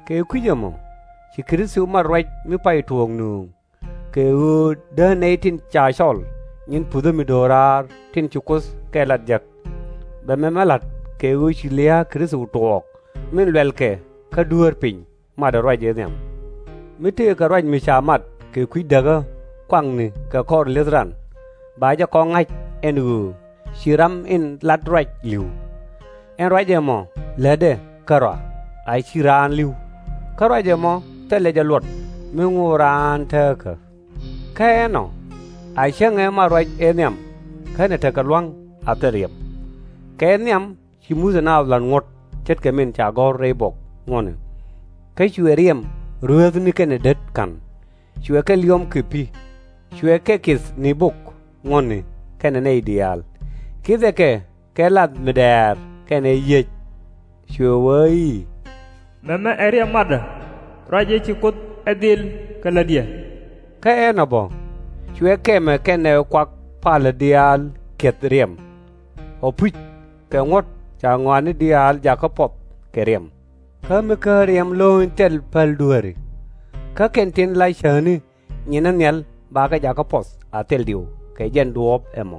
Kɛ kui̱c ɛmɔ ci Kritho mat ruac mi pay tuɔɔk nööŋ, kɛ ɣöö dee nɛy tin ca cɔl nyin puthä mi do̱raar tin ci Kuoth kɛ lat jek. Bɛ mɛmɛ la̱t kɛ ɣöö ci lia̱a̱ Kritho tuɔɔk min luɛlkɛ kä dueer piny matdä ruac ëë nhiam. Mi tëëkɛ ruac mi ca mat kɛ kui̱ däkä kuakni kɛ kɔr li̱eth ran, ba jɛ kɔŋ ŋa̱c ɛn ɣöö ci ram in lat ruac li̱w. Ɛn ruac ɛmɔ lätdɛ kärɔa, a /ci raan li̱w. Kä ruac ɛmɔ thilɛ jɛ luɔt mi ŋo̱o̱k raan tääkä. Kä ɛnɔ, a cäŋɛ mat ruac ëë nhiam, kä nɛ tekɛ lua̱ŋ a thil riɛm. Kɛ nhiam ci Muthɛ naath la̱t ŋuɔ̱t ce̱tkɛ min ca gɔ̱r rɛy buɔk ŋuɔ̱tni. Kä cuɛ riɛm rueethni kɛnɛ det ka̱n, cuɛ kɛ liɔm kɛ pi̱, cuɛ kɛ kith ni bok ŋuɔ̱tni kɛnɛ nɛy diaal, kithɛ kɛ kɛ lath mi dɛɛr kɛnɛ yiëc. Cuɛ wee i̱, Mɛmɛ ɛ riɛm matdä ruac ëë ci Kuoth ɛ dhil kɛ lätdiɛ. Kä ɛn ɛ bä, cuɛ kɛmɛ kɛnɛ kuak palä diaal kiɛth riɛm. Ɔ puc, kɛ ŋuɔ̱t ca ŋɔaani diaal jakä puɔth kɛ riɛm. Kä mi /ken riɛm lo̱ny thil päl dueeri. Kä kɛn tin la cäätni nyinä nhial bakɛ jakä puɔth a thil diw kɛ jɛn duɔ̱ɔ̱p ɛmɔ.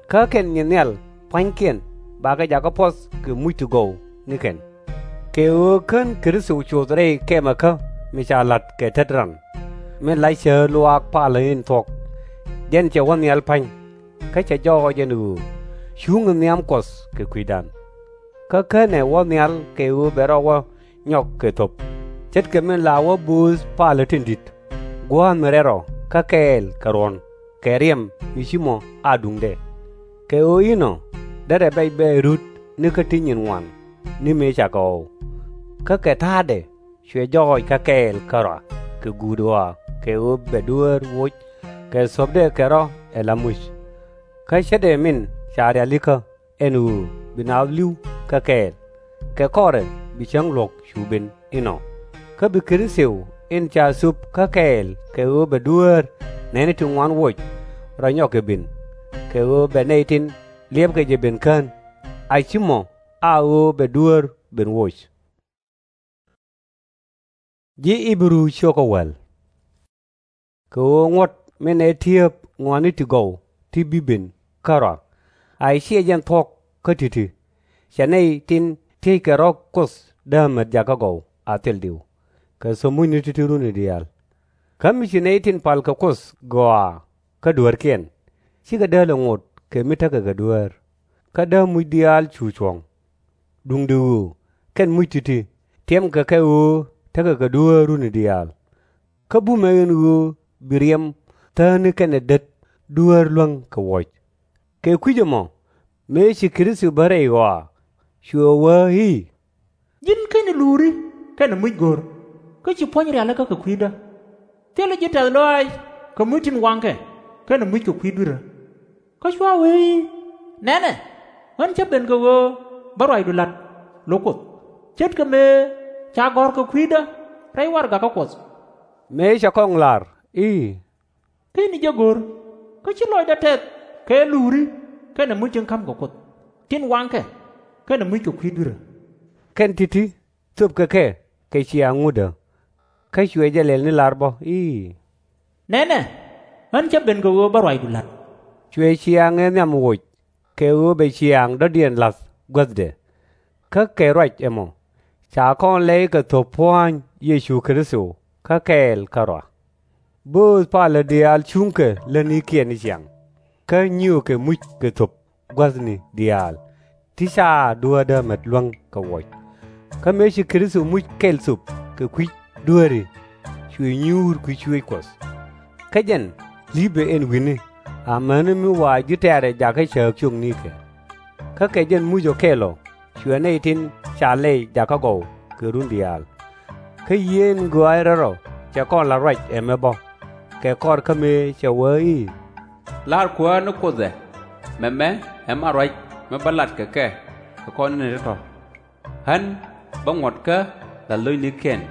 Kä kɛn nyin nhial pua̱nykiɛn bakɛ jakä puɔth kɛ muc ti gɔw ni kɛn. Kɛ ɣöö /ken Kritho coth rɛy kɛmɛkä mi ca la̱t kɛ tet ran, min la cäätni luaak palä in thuɔ̱k. Jɛn cɛ wä nhial pa̱ny, kä cɛ jɔɔc ɛn ɣöö cuŋɛ nhiam Kuɔth kɛ kui̱dan. Kä /kenɛ wä nhial kɛ ɣöö bɛ rɔ wä nyɔk kɛ thöp, ce̱tkɛ min la wä bööth palä tin di̱t, gua̱a̱th mi rɛl rɔ kä kɛɛl kɛ ruɔ̱n, kɛ riɛm mi ci mɔ a duŋdɛ. Kɛ ɣöö inɔ derɛ bɛc bɛ rut nikä ti nyin ŋuan ni mëë cakɛ ɣɔw. Kä kɛ ta̱a̱dɛ cuɛ jɔɔc kä kɛɛl kärɔa kɛ guut ɣɔaa kɛ ɣöö bɛ dueer woc kɛ thuɔ̱pdɛ kɛ rɔ ala muc. Kä ce̱tdɛ min ca rialikä ɛn ɣöö bi naath li̱w kä kɛɛl, kɛ kɔrɛ bi cäŋ luɔ̱k cu ben inɔ. Kä bi Kritho in ca thöp kä kɛɛl kɛ ɣöö bɛ dueer nɛɛni ti ŋuan woc rɔ nyɔk kɛ ben, kɛ ɣöö bɛ nɛy tin liɛpkɛ jɛ ben kän, a /ci mɔ a ɣöö bɛ dueer ben woc. Kɛ ɣöö ŋuɔ̱t min ɛ tieep ŋɔaani ti gɔw ti bi ben kärɔa, a /ciɛ jɛn thuɔ̱k kä ti̱ti̱, cɛ nɛy tin ti̱eckɛ rɔ̱ Kuoth däämät jakä gɔw a thil diw, kɛ thöp mucni ti̱ti̱ runi diaal. Kä mi ci nɛy tin pal kɛ Kuoth gɔaa kä dueerkiɛn, /cikɛ dääl ɛ ŋot kɛ mi tekɛ kɛ dueer, kä dääk muc diaal cu cuɔ̱ŋ. Duundɛ ɣöö kɛn muc ti̱ti̱ tiɛmkɛ kɛ ɣöö tekɛ kɛ dueer runi diaal. Kä bumɛ ɛn ɣöö bi riɛm thääni kɛnɛ det dueer luäŋ kɛ wuɔc. Kɛ kui̱c ɛmɔ, mëë ci Kritho bä rɛy ɣɔaa, cuɛ wee i̱, Ji̱n kɛnɛ luuri kɛnɛ muc go̱r, kä ci puɔ̱ny rialikä kɛ kui̱dä. Thilɛ ji̱ tɛ̈th lɔaac kɛ muc tin waŋkɛ kɛnɛ muc kɛ kui̱ dui̱rä. Kä cua wee i̱, Nɛnɛ, ɣän cä ben kɛ ɣöö bä ruacdu la̱t lo̱k Kuoth, ce̱tkɛ mëë ca gɔ̱r kɛ kui̱dä rɛy warɛgakä Kuɔth. Mëë cɛ kɔŋ lar i̱, Kä ɣän jɛ go̱r, kä /ci lɔcdä tɛth kɛ luuri kɛnɛ muc tin ka̱mkɛ Kuoth, tin waŋkɛ kɛnɛ muc kɛ kui̱ dui̱rä, kɛn ti̱ti̱ thöpkɛ kɛ kɛ ciaaŋ ŋutdä. Kä cuɛ jɛ lɛl ni lar bä i̱, Nɛnɛ, ɣän cä ben kɛ ɣöö bä ruacdu la̱t. Cuɛ ciaaŋ ëë nhiam woc kɛ ɣöö bɛ ciaaŋ dɔ̱diɛn la̱th guäthdɛ. Kä kɛ ruac ɛmɔ, ca kɔn lɛy kɛ thöp pua̱ny Yecu Kritho kä kɛɛl kärɔa. Bööth palä diaal cuŋkɛ lätnikiɛn ni ciaŋ, kä nyiëëkɛ muc kɛ thöp gua̱thni diaal ti ca dueerdä met luäŋ kɛ wuɔc. Kä mëë ci Kritho muc kɛl thöp kɛ kui̱ dueeri, cuɛ nyuur kui̱ cuëëc Kuɔth. Kä jɛn li̱pɛ ɛn wi̱ni, amäni mi wa ji̱ tɛ̈rɛ jakä cääk ciöknikɛ. Kä kɛ jɛn muc ɔ kɛl ɔ cuɛ nɛy tin ca lɛy jakä gɔw kɛ run diaal. Kä yieen gɔaaɛ rɛl rɔ cɛ kɔn la̱t ruac ɛmɛ bä, kɛ kɔr kä mëë cɛ wee i̱, La̱r Kuäär ni Kuoth ɛ, Mɛmɛ ɛ ma ruac mi bä lat kɛ kɛ kɛ kɔn in te tɔ̱. Ɣän bä ŋuɔ̱t kä la̱th lo̱cnikiɛn,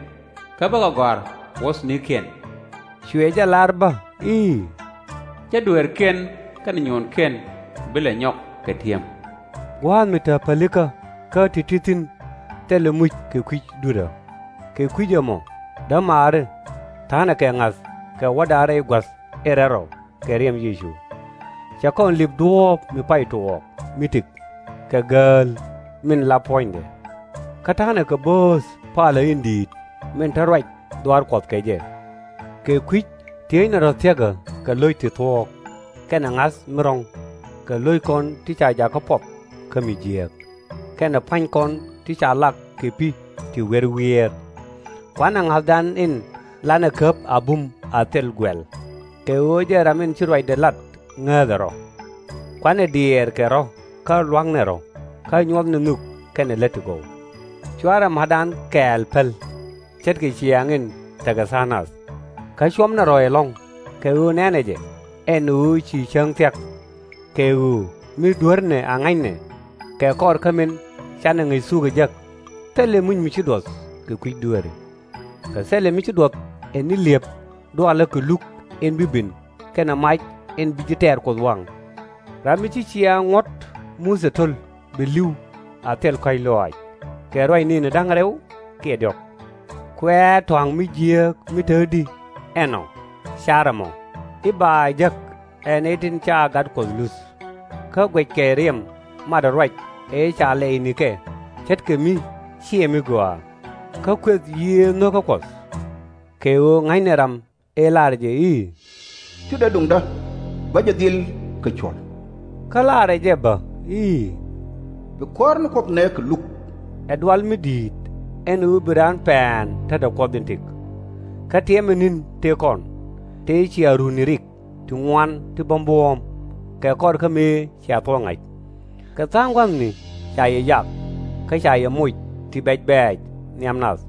kä bä kɛ gɔ̱a̱r wuɔ̱thnikiɛn. Cuɛ jɛ lar bä i̱, Cä dueerkiɛn kɛnɛ nyuɔɔnkiɛn bi lɛ nyɔk kɛ ti̱em. Gua̱a̱th mi te pälikä kä ti̱ti̱ thi̱n thilɛ muc kɛ kui̱ dui̱rä. Kɛ kui̱c ɛmɔ, dämaari, ta̱a̱nɛ kɛ ŋa̱th kɛ wäda rɛy gua̱th in rɛl rɔ kɛ riɛm Yecu. Cɛ kɔn lip duɔ̱ɔ̱p mi pay tuɔɔk mi tëk kɛ gääl min la puɔ̱nydɛ. Kä ta̱a̱nɛ kɛ bööth palä in di̱i̱t min te ruac dhuaar Kuɔth kɛ jɛ. Kɛ kui̱c tie̱e̱cnɛ rɔ̱ thiäkä kɛ lo̱c ti thuɔ̱k, kɛnɛ ŋa̱th mi rɔ̱ŋ, kɛ lo̱ckɔn ti ca jakä puɔth kä mi jiääk, kɛnɛ pua̱nykɔn ti ca lak kɛ pi̱ ti wiɛr wiɛɛr. Kuanɛ ŋa̱thdan in lanɛ käp a bum a thil guɛl, kɛ ɣöö jɛn ram in ci ruacdɛ lat ŋääthɛ rɔ. Kuanɛ diɛɛrkɛ rɔ̱ kä lua̱knɛ rɔ̱, kä nyuɔthni nhök kɛnɛ lät ti gɔw. /Cuarɛ ma̱tdan kɛɛl päl, ce̱tkɛ ciaaŋ in tekɛ tha̱a̱ŋ nath. Kä cuɔmnɛ rɔ̱ ɛlɔ̱ŋ, kɛ ɣöö nɛ̈nɛ jɛ ɛn ɣöö ci cäŋ thia̱k. Kɛ ɣöö mi dueernɛ a ŋa̱cnɛ, kɛ kɔr kä min canɛ ŋäc thuk ɛ jek, thilɛ muc mi ci duɔth kɛ kui̱ dueeri. Kä thilɛ mi ci duɔth ɛ ni li̱ep dualä kɛ luk in bi ben kɛnɛ mac in bi ji̱ tɛ̈r Kuoth waŋ. Ram mi ci ciaaŋ ŋuɔ̱t Muthɛ to̱l bɛ li̱w a thil kɔ̱a̱c lɔaac, kɛ ruac nɛɛni da̱ŋ rɛw kiɛ diɔ̱k. Kuɛ̈ɛ̈ tɔ̱a̱ŋ mi jiääk mi te di ɛnɔ car ɛmɔ i̱ ba jek ɛ nɛy tin ca gat Kuɔth luth. Kä guɛckɛ riɛm matdä ruac ëë ca lɛy nikɛ, ce̱tkɛ mi /ciɛ mi gɔaa, kä kueth yiëë nho̱kä Kuɔth. Kɛ ɣöö ŋa̱cnɛ ram ëë laarɛ jɛ i̱, Cu dee duŋdä, bä jɛ dhil kɛ cuɔ̱l. Kä laarɛ jɛ bä i̱, Bi Kuäär ni Kuoth nɛɛkɛ luk. Ɛ dual mi di̱i̱t ɛn ɣöö bi raan pɛ̈ɛ̈n tetdɛ Kuɔth in tëk. Kä tiɛmɛ ni̱n tëë kɔn, tëë cia runi rik ti ŋuan ti bä buɔ̱ɔ̱m, kɛ kɔr kä mëë cia thuɔ̱k ŋa̱c. Kɛ tha̱a̱ŋ gua̱thni ca yɛ yak, kä ca yɛ moc ti bɛ̈c bɛ̈ɛ̈c nhiam nath.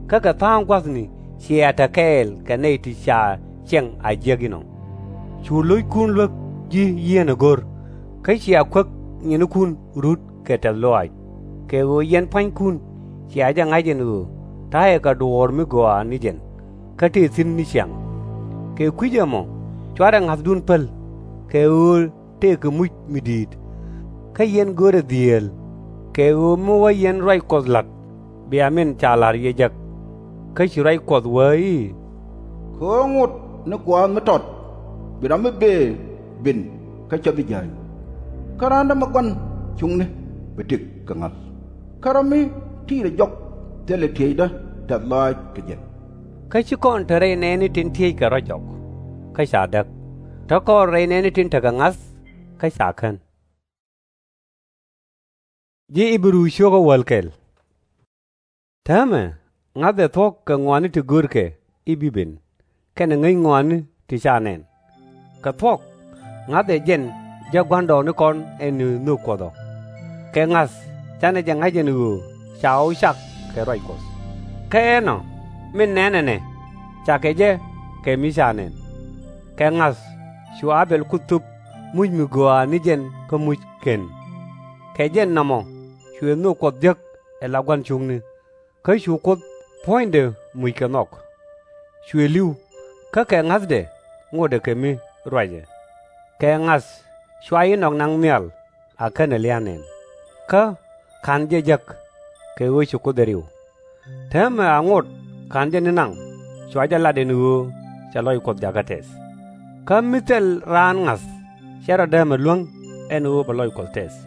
Kä kɛ tha̱a̱ŋ gua̱thni cia te kɛɛl kɛ nɛy ti ca ciɛŋ a jiäk inɔ. Cu lo̱ckun luäk ji̱ yieenä go̱r, kä cia kuäk nyinikun rut kɛ tɛ̈th lɔaac. Kɛ ɣöö yɛn pua̱nykun cia jɛ ŋa̱c ɛn ɣöö ta̱yɛ kɛ duɔ̱ɔ̱r mi gɔaa ni jɛn, kä tëë thi̱n ni ciaŋ. Kɛ kui̱c ɛmɔ, /cuarɛ ŋa̱thdun päl, kɛ ɣöö tëëkɛ muc mi di̱i̱t. Kä yɛn görɛ dhieel, kɛ ɣöö mi wä yɛn ruac Kuɔth la̱t, bia min ca la̱r yɛ jek. Kä ci ruac Kuɔth wee i̱, Kɛ ɣöö ŋot ni gua̱a̱th mi tɔt, bi ram mi bëë ben kä cä bi jääny. Kä raan dämagua̱n cuŋni bi tëk kɛ ŋa̱th. Kä ram mi ti̱i̱t ɛ jɔk, thilɛ tieyda tɛth lɔaac kɛ jɛ. Kä /ci kɔn te rɛy nɛɛni tin tiey kɛ ruac jɔk, kä ca däk. Te kɔn rɛy nɛɛni tin tekɛ ŋa̱th, kä ca kän. Täämɛ, ŋa̱th ɛ thuɔ̱k kɛ ŋɔaani ti görkɛ i̱ bi ben, kɛnɛ ŋäc ŋɔaani ti ca nɛn. Kɛ thuɔ̱k, ŋa̱th ɛ jɛn jäk gua̱ndɔɔŋnikɔn ɛn ɣöö nhök Kuɔth ɔ. Kɛ ŋa̱th, /canɛ jɛ ŋa̱c ɛn ɣöö ca ɣɔw cak kɛ ruac Kuɔth. Kä ɛnɔ, min nɛn ɛnɛ, cakɛ jɛ kɛ mi ca nɛn. Kɛ ŋa̱th, cu A-bɛl Kuoth thöp muc mi gɔaa ni jɛn kä muc kɛn. Kɛ jɛn nɔmɔ, cuɛ nhök Kuɔth jek ala gua̱n cuŋni, kä cu Kuoth puɔ̱nydɛ muc kɛ nhɔk. Cuɛ li̱w, kä kɛ ŋa̱thdɛ ŋotdɛ kɛ mi ruacɛ. Kɛ ŋa̱th, cua Inɔk naŋ nhial, a /kenɛ lia̱a̱ nɛn, kä /ka̱n jɛ jek, kɛ ɣöö ci Kuoth ɛ riw. Täämɛ a ŋot /ka̱n jɛ ni naŋ, cua jɛ lat ɛn ɣöö cɛ lɔc Kuɔth jakä tɛth. Kä mi thil raan ŋa̱th, /cɛ rɔ däämɛ luäŋ ɛn ɣöö bɛ lɔc Kuɔth tɛth.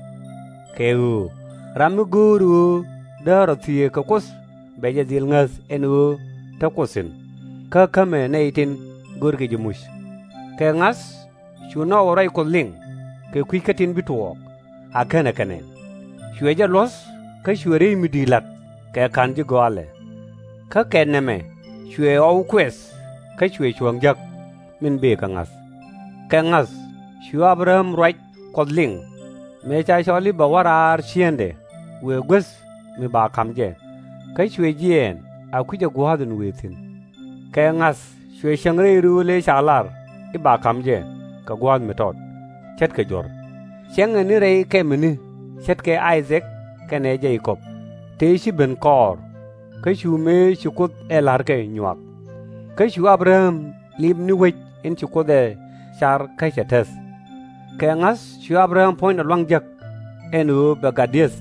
Kɛ ɣöö ram mi go̱o̱r ɣöö dee rɔ thieek kɛ Kuoth, bɛ jɛ dhil ŋäth ɛn ɣöö te Kuoth thi̱n, kä kämɛ nɛy tin görkɛ jɛ muc. Kɛ ŋa̱th, cu nhɔkɛ ruac Kuɔth liŋ, kɛ kui̱ kä tin bi tuɔɔk, a /kenɛ kɛ nɛn. Cuɛ jɛ luɔ̱th, kä cuɛ rɛy mi di̱i̱t la̱t kɛ /ka̱n ji̱ gɔaalɛ. Kä kɛ nɛmɛ, cuɛ ɣɔw kuɛth, kä cuɛ cuɔ̱ɔ̱ŋ jek, min bëë kɛ ŋa̱th. Kɛ ŋa̱th, cu A-bɛ-ram ruac Kuɔth liŋ, mëë ca cɔl i̱ bɛ wä raar ciëŋdɛ wëë guäth mi ba ka̱m jɛ, kä cuɛ jiɛɛn a kui̱cɛ gua̱a̱th in wëë thi̱n. Kɛ ŋa̱th, cuɛ cieŋ rɛy rööl ëë ca lar i̱ ba ka̱m jɛ kɛ gua̱a̱th mi tɔt, ce̱tkɛ juɔ̱r. Ciɛŋɛ ni rɛy kɛmɛni ce̱tkɛ I-thɛk kɛnɛ Je-kɔb, tëë ci ben kɔɔr, kä cu mëë ci Kuoth ɛ la̱rkɛ nyuak. Kä cu A-bɛ-ram lip ni wec in ci Kuoth ɛ car kä cɛ täth. Kɛ ŋa̱th, cu A-bɛ-ram puɔ̱nydɛ lua̱ŋ jek ɛn ɣöö bɛ gat di̱eth,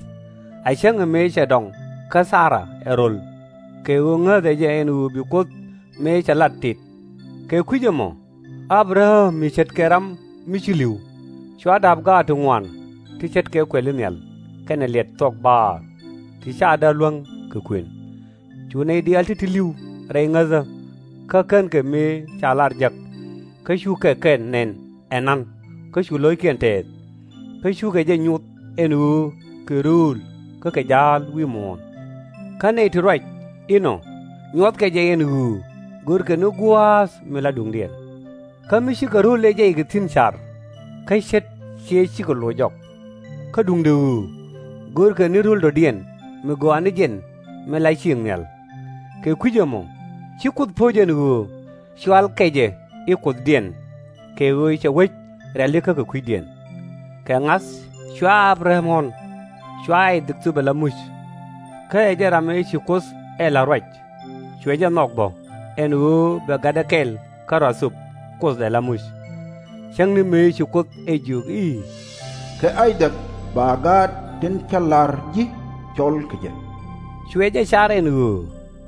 a cäŋɛ mëë cɛ dɔŋ kä Thara ɛ ro̱l, kɛ ɣöö ŋäthɛ jɛ ɛn ɣöö bi Kuoth mëë cɛ lat tit. Kɛ kui̱c ɛmɔ, A-bɛ-ram mi ce̱tkɛ ram mi ci li̱w, cua da̱p gaat ti ŋuan ti ce̱tkɛ kuɛli nhial kɛnɛ liɛt thuɔk baar, ti /ca dee luäŋ kɛ kuën. Cu nɛy diaal ti̱ti̱ li̱w rɛy ŋäthä, kä /kenkɛ mëë ca lar jek, kä cukɛ kɛ nɛn ɛna̱n, kä cu lo̱ckiɛn tɛɛth. Kä cukɛ jɛ nyuth ɛn ɣöö kɛ rööl kä kɛ ja̱a̱l wi̱i̱ muɔ̱ɔ̱n. Kä nɛy ti ruac inɔ, nyuɔthkɛ jɛ ɛn ɣöö görkɛ ni gua̱a̱th mi la duŋdiɛn. Kä mi cikɛ ro̱l ɛ jɛ kɛ thi̱n car, kä ce̱t ciɛ cikɛ loc jɔk. Kä duundɛ ɣöö görkɛ ni ro̱l dɔ̱diɛn mi gɔaa ni jɛn min la ciëŋ nhial. Kɛ kui̱c ɛmɔ, ci Kuoth po̱c ɛn ɣöö cɔalkɛ jɛ i̱ kuothdiɛn, kɛ ɣöö cɛ wec rɛ̈li kä kɛ kui̱diɛn. Kɛ ŋa̱th, cua A-bɛ-ram ɣɔ̱n, cua I-thɛk thöp ala muc. Kä ɛ jɛn ram ëë ci Kuoth ɛ la̱r ruac, cuɛ jɛ nhɔk bä, ɛn ɣöö bɛ gatdɛ kɛl kärɔa thöp Kuoth ɛ la muc. Cäŋ ni mëë ci Kuoth ɛ jiök i̱, Kɛ I-thɛk ba gaat tin cä la̱r ji̱ cɔl kɛ jɛ. Cuɛ jɛ car ɛn ɣöö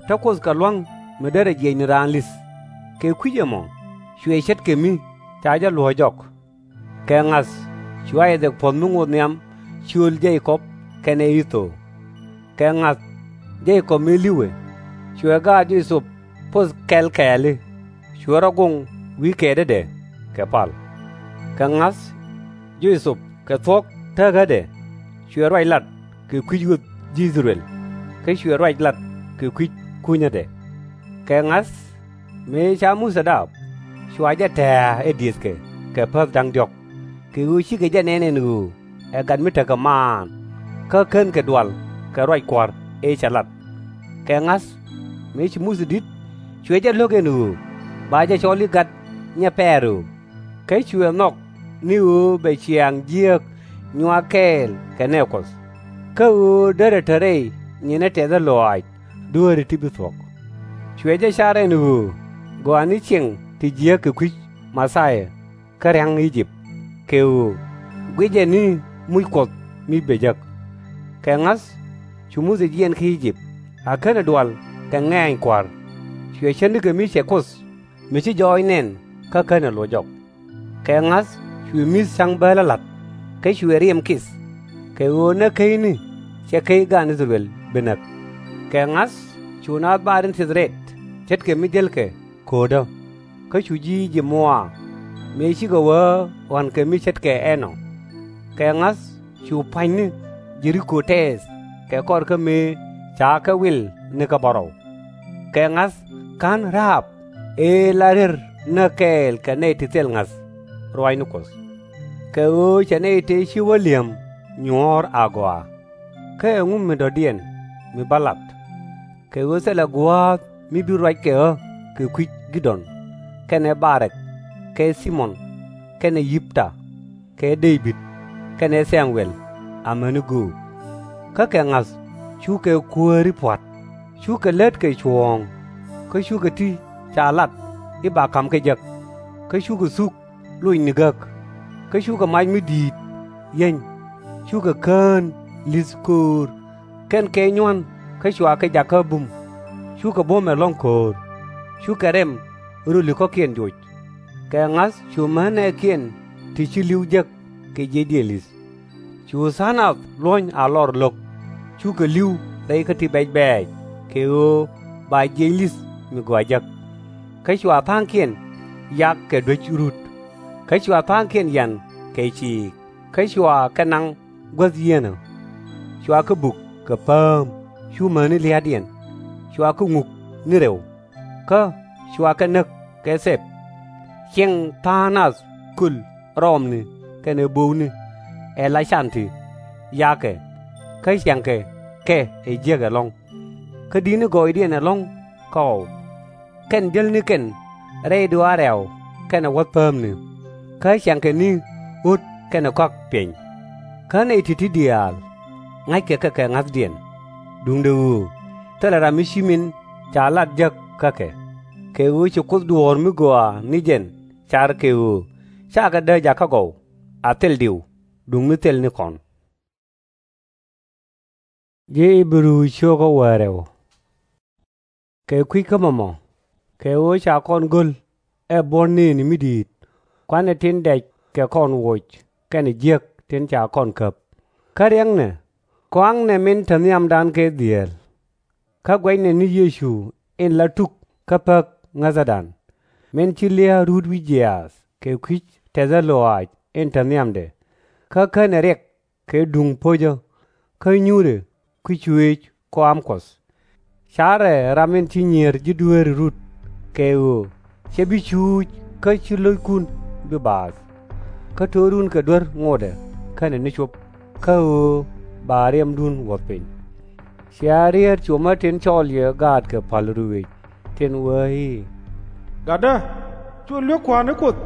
te Kuoth kɛ lua̱ŋ mi derɛ jiɛc ni raan li̱th. Kɛ kui̱c ɛmɔ, cuɛ ce̱tkɛ mi ca jɛ luɔ̱ɔ̱c jɔk. Kɛ ŋa̱th, cu I-thɛk puɔ̱th mi ŋot nhiam ciöl Je-kɔb kɛnɛ Ɛ-dhɔw. Kɛ ŋa̱th, Je-kɔb mëë li̱wɛ, cuɛ gaat Jo-thɛp poth kɛl kɛɛli, cuɛ rɔ goŋ wi̱i̱ kɛɛtädɛ kɛ pal. Kɛ ŋa̱th, Jo-thɛp kɛ thuɔ̱k teekädɛ, cuɛ ruac lat kɛ kui̱c ɣöth ji̱ I-thɛ-rɛl, kä cuɛ ruac lat kɛ kui̱c kunyädɛ. Kɛ ŋa̱th, mëë ca Muthɛ daap, cua jɛ tɛ̱̈ɛ̱̈ ɛ diëëthkɛ kɛ päth da̱ŋ diɔ̱k, kɛ ɣöö cikɛ jɛ nɛn ɛn ɣöö ɛ gat mi tekɛ maan, kä /kenkɛ dual kɛ ruac Kua̱r ëë cɛ lat. Kɛ ŋa̱th, mëë ci Muthɛ di̱t, cuɛ jɛ lo̱k ɛn ɣöö ba jɛ cɔl i̱ gat Nyɛ-pɛɛr-ɣöö, kä cuɛ nhɔk ni ɣöö bɛ ciaaŋ jiääk nyuak kɛɛl kɛ nɛɛ Kuɔth, kä ɣöö derɛ te rɛy nyiɛnɛ tɛthä lɔaac dueeri ti bi thuɔ̱k. Cuɛ jɛ car ɛn ɣöö gɔaa ni ciɛŋ ti jiääk kɛ kui̱c Mɛ-thia kä ria̱ŋ I-jëp, kɛ ɣöö guic ɛ ni muc Kuɔth mi bɛ jek. Kɛ ŋa̱th, cu Muthɛ jiɛɛn kä I-jëp, a /kenɛ dual kɛ ŋɛ̈ny kua̱r. Cuɛ cät nikɛ mi cɛ Kuoth mi ci jɔɔc nɛn kä /kenɛ loc jɔk. Kɛ ŋa̱th, cuɛ mi̱th ca̱ŋ bäälä la̱t, kä cuɛ riɛm kith, kɛ ɣöö näk kecni cɛ kec gan I-thɛ-rɛl bi näk. Kɛ ŋa̱th, cu naath bar in thith rɛt, ce̱tkɛ mi jälkɛ ko̱o̱dä, kä cu ji̱ I-jëp muɔaar, mëë cikɛ wee ɣɔ̱a̱n kɛ mi ce̱tkɛ ɛnɔ. Kɛ ŋa̱th, cu pa̱nyni Jɛ-ri-ko tɛɛth kɛ kɔr kä mëë ca kɛ wil ni kä bärɔw. Kɛ ŋa̱th, /ka̱n Ra-ab ëë la rier näk kɛɛl kɛ nɛy ti thil ŋa̱th ruaacni Kuɔth. Kɛ ɣöö cɛ nɛy tëë ci wä li̱em nyuɔ̱ɔ̱r agɔaa. Kä ɛŋu mi dɔ̱diɛn mi bä lat? Kɛ ɣöö thilɛ gua̱a̱th mi bi ruac kɛ ɣä kɛ kui̱c Gïd-ɔn, kɛnɛ Ba-rɛk, kɛ Thi-mɔn, kɛnɛ Yip-tha, kɛ Dee-bid, kɛnɛ Thɛ-muɛl, amäni göök. Kä kɛ ŋa̱th, cukɛ kuääri pua̱t, cukɛ lät kɛ cuɔ̱ɔ̱ŋ, kä cukɛ ti ca lat i̱ ba ka̱m kä jek, kä cukɛ thuk locni gäk, kä cukɛ mac mi di̱i̱t yieny, cukɛ kään li̱th köör, kɛn kɛ nyuan kä cua kɛ jak kä bum, cukɛ buɔ̱m ɛlɔ̱ŋ ko̱o̱r, cukɛ rɛm röli kɔ̱kiɛn joc. Kɛ ŋa̱th, cu män nɛɛkiɛn ti ci li̱w jek kɛ jiɛcdiɛn li̱th. Cu tha̱a̱ŋ nath luɔ̱ny a lɔr lo̱k, cukɛ li̱w rɛy kä ti bɛc bɛɛc, kɛ ɣöö ba jiɛc li̱th mi gɔaa jek. Kä cua tha̱a̱ŋkiɛn yak kɛ duäc rut, kä cua tha̱a̱ŋkiɛn yan kɛ ciik, kä cua kɛ naŋ guäth yieenä. Cua kɛ buk kɛ pääm cu mäni lia̱a̱diɛn, cua kɛ ŋuk ni rɛw, kä cua kɛ näk kɛ thɛp. Ciɛŋ tha̱a̱ŋ nath köl rɔɔmni kɛnɛ bo̱o̱kni, ɛ la can ti yakɛ, kä ciaŋkɛ kɛ ɛ jiäk ɛlɔ̱ŋ. Kä di̱tni gɔɔydiɛn ɛlɔ̱ŋ kä ɣɔw, kɛn jälnikɛn rɛy duaar rɛ̈w kɛnɛ wuɔ̱th päämni, kä ciaŋkɛ ni ɣöt kɛnɛ kɔ̱a̱k piɛny. Kä nɛy ti̱ti̱ diaal, ŋa̱ckɛ kɛ kɛ ŋa̱thdiɛn, duundɛ ɣöö thilɛ ram mi ci min ca lat jek kä kɛ. Kɛ ɣöö ci Kuoth duɔ̱ɔ̱r mi gɔaa ni jɛn car kɛ ɣöö /cakɛ dääk jakä gɔw a thil diw duŋ mi thil ni kɔn. Kɛ kui̱ kä mɔmɔ, kɛ ɣöö ca kɔn go̱l ɛ buɔ̱n nëëni mi di̱i̱t, kuanɛ tin dɛc kɛ kɔn woc kɛnɛ jiäk tin ca kɔn käp. Kä riɛknɛ, kɔaŋnɛ min te nhiamdan kɛ dhieel. Kä guɛcnɛ ni Yecu in la tuk kä Päk ŋäthädan, min ci lia̱a̱ rut wi̱c jiaath kɛ kui̱c tɛthä lɔaac in te nhiamdɛ, kä känɛ riɛk kɛ duŋ po̱cä, kä nyuurɛ kui̱ cuëëc kɔam Kuɔth. Carɛ ram in ci nyier ji̱ dueeri rut, kɛ ɣöö /cɛ bi cuuc kä /ci lo̱ckun bi baath. Kä to̱run kɛ duer ŋotdɛ kɛnɛ ni cop, kä ɣöö ba riɛmdun wuɔ̱th piny. Cia rieet cuɔmä tin cɔɔl yɛ gaatkɛ pa̱l ruëëc tin wee i̱, Gatdä, cu luek kua̱r ni Kuoth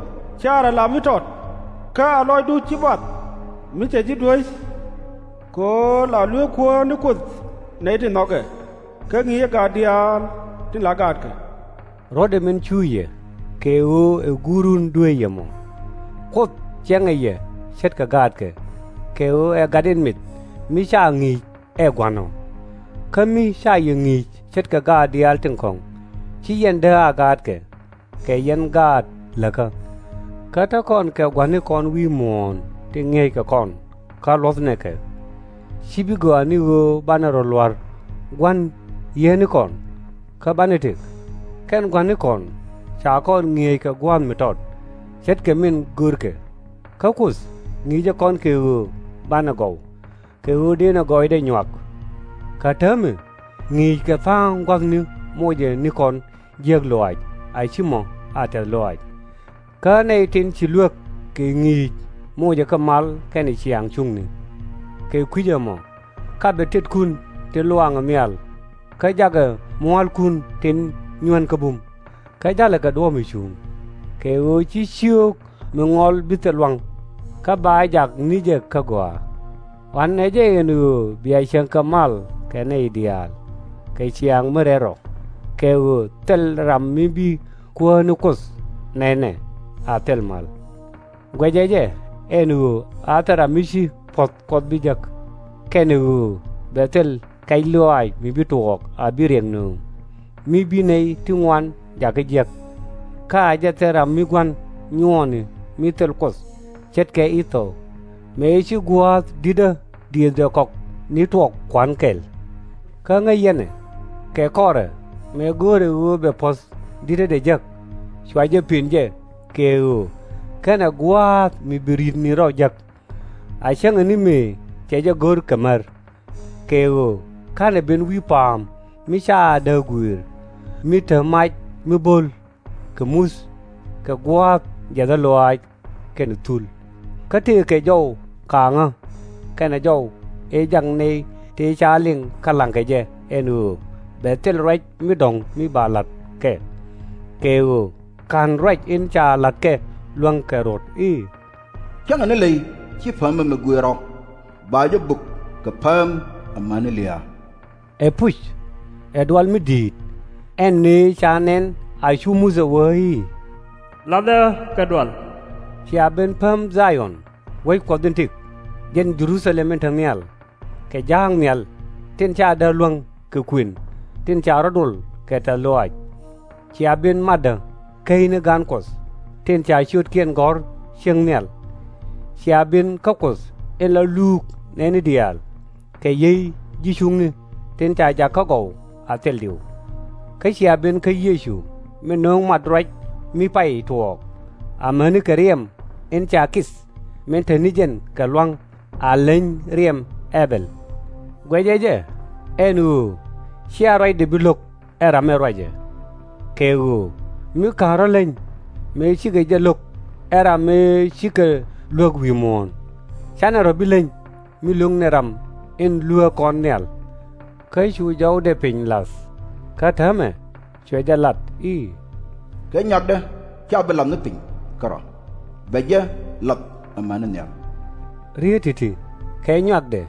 caarɛ la mi tɔt, kä a lɔcdu /ci bath mi cɛ ji̱ duäc. Kɛ ɣöö la luek Kuäär ni Kuoth nɛy tin nhɔkɛ, kä ŋi̱i̱cɛ gaat diaal tin la gaatkɛ. Ruɔ̱tdɛ min cuuc yɛ, kɛ ɣöö ɛ Guurun dueec yɛ mɔ. Kuoth ciɛŋɛ yɛ ce̱tkɛ gaatkɛ, kɛ ɣöö ɛ Gat in mith mi /ca ŋi̱i̱c ɛ Gua̱n ɔ. Kä mi /ca yɛ ŋi̱i̱c ce̱tkɛ gaat diaal tin kɔ̱ŋ, /ci yɛn dee a gaatkɛ, kɛ yɛn gaat läkä. Kä te kɔn kɛ gua̱nikɔn wi̱i̱ muɔ̱ɔ̱n tin ŋi̱eeckɛ kɔn kä luɔ̱thnɛ kɛ. /Ci bi gɔaa ni ɣöö banɛ rɔ lua̱r gua̱n yieenikɔn, kä banɛ tëk. Kɛn gua̱nikɔn ca kɔn ŋi̱eec kɛ gua̱a̱th mi tɔt, ce̱tkɛ min görkɛ. Kä Kuoth ŋi̱i̱cɛ kɔn kɛ ɣöö banɛ gɔw, kɛ ɣöö dënɛ gɔɔydɛ nyuak. Kä täämɛ, ŋi̱i̱ckɛ tha̱a̱ŋ gua̱thni mocɛ ni kɔn jiäk lɔaac a /ci mɔ a tɛ̈th lɔaac. Kä nɛy tin ci luäk kɛ ŋi̱i̱c mocɛ kɛ mal kɛnɛ ciaŋ cuŋni. Kɛ kui̱c ɛmɔ, kapɛ tetkun tin luaŋɛ nhial, kä jakɛ mua̱a̱lkun tin nyuän kä bum, kä ja̱lɛ kɛ duɔ̱ɔ̱p mi cuŋ. Kɛ ɣöö /ci cio̱o̱k mi ŋɔl bi thil lua̱ŋ, kä ba jak ni jɛ kä gɔaa. Ɣɔ̱a̱n ɛ jɛ ɛn ɣöö bia cieŋ kɛ mal kɛ nɛy diaal, kɛ ciaŋ mi rɛl rɔ, kɛ ɣöö thil ram mi bi Kuäär ni Kuoth nɛnɛ a thil mal. Guɛcɛ jɛ ɛn ɣöö a thil ram mi ci puɔ̱th Kuɔth bi jek, kɛnɛ ɣöö bɛ thil kɛc lɔaac mi bi tuɔɔk a bi riɛk nööŋ, mi bi nɛy ti ŋuan jakä jiäk. Kä a jɛ thil ram mi gua̱n nyuɔɔni mi thil Kuoth, ce̱tkɛ Ɛ-dhɔw, mëë ci gua̱a̱th di̱tdä diëëthdɛ kɔk ni tuɔɔk kua̱n kɛl. Kä ŋäc yɛn ɛ, kɛ kɔrɛ, mëë go̱o̱rɛ ɣöö bɛ puɔ̱th di̱tädɛ jek, cua jɛ pën jɛ, kɛ ɣöö /kenɛ gua̱a̱th mi bi ri̱t ni rɔ jek. A cäŋɛ ni mëë cɛ jɛ go̱r kɛ mär, kɛ ɣöö /ka̱nɛ ben wi̱i̱ pa̱a̱m mi ca dääk guiir, mi te mac mi bo̱l, kɛ muth, kɛ gua̱a̱th jiäthä lɔaac kɛnɛ thul. Kä tëëkɛ jɔw kaaŋä kɛnɛ jɔw ëë jak nɛy tëë ca liŋ kä la̱ŋkɛ jɛ ɛn ɣöö bɛ thil ruac mi dɔ̱ŋ mi ba la̱t kɛ. Kɛ ɣöö /ka̱n ruac in ca la̱t kɛ luäŋ kɛ rot i̱, Cäŋɛ ni ley /ci päämä mi guiir rɔ, ba jɛ bök kɛ pääm amäni lia̱a̱. Ɛ puc, ɛ dual mi di̱i̱t, ɛn ni ca nɛn a cu Muthɛ wee i̱, La̱thɛ kɛ dual. Cia ben pääm Dha-yɔn, wec Kuɔth in tëk, jɛn Jɛ-ru-tha-lɛm in te nhial, kɛ ja̱a̱k nhial tin ca däär luäŋ kɛ kuën tin ca rɔ̱ dol kɛ tɛ̈th lɔaac. Cia ben matdä käcni ga̱a̱n Kuɔth, tin ca ciötkiɛn gɔ̱r ciëŋ nhial. Cia ben kä Kuoth in la luuk nɛɛni diaal, kɛ yiey ji̱ cuŋni tin ca jak kä gɔw a thil diw. Kä cia ben kä Yecu min nöŋ mat ruac mi pay tuɔɔk, amäni kɛ riɛm in ca kith min te ni jɛn kɛ lua̱ŋ a leny riɛm Ɛ-bɛl. Guɛcɛ jɛ ɛn ɣöö /cia ruacdɛ bi lo̱k ɛ ram ëë ruacɛ. Kɛ ɣöö mi /ka̱n rɔ̱ leny mëë cikɛ jɛ lo̱k ɛ ram ëë cikɛ luäk wi̱i̱ muɔ̱ɔ̱n, /canɛ rɔ̱ bi leny mi lo̱k nɛ ram in luääk kɔn nhial. Kä cu jɔwdɛ piny la̱th, kä täämɛ cuɛ jɛ lat i̱, Kɛ nyuakdä /ca bi la̱th ni piny kärɔ̱, bɛ jɛ la̱th amäni nhial. Riet ti̱ti̱, kɛ nyuakdɛ,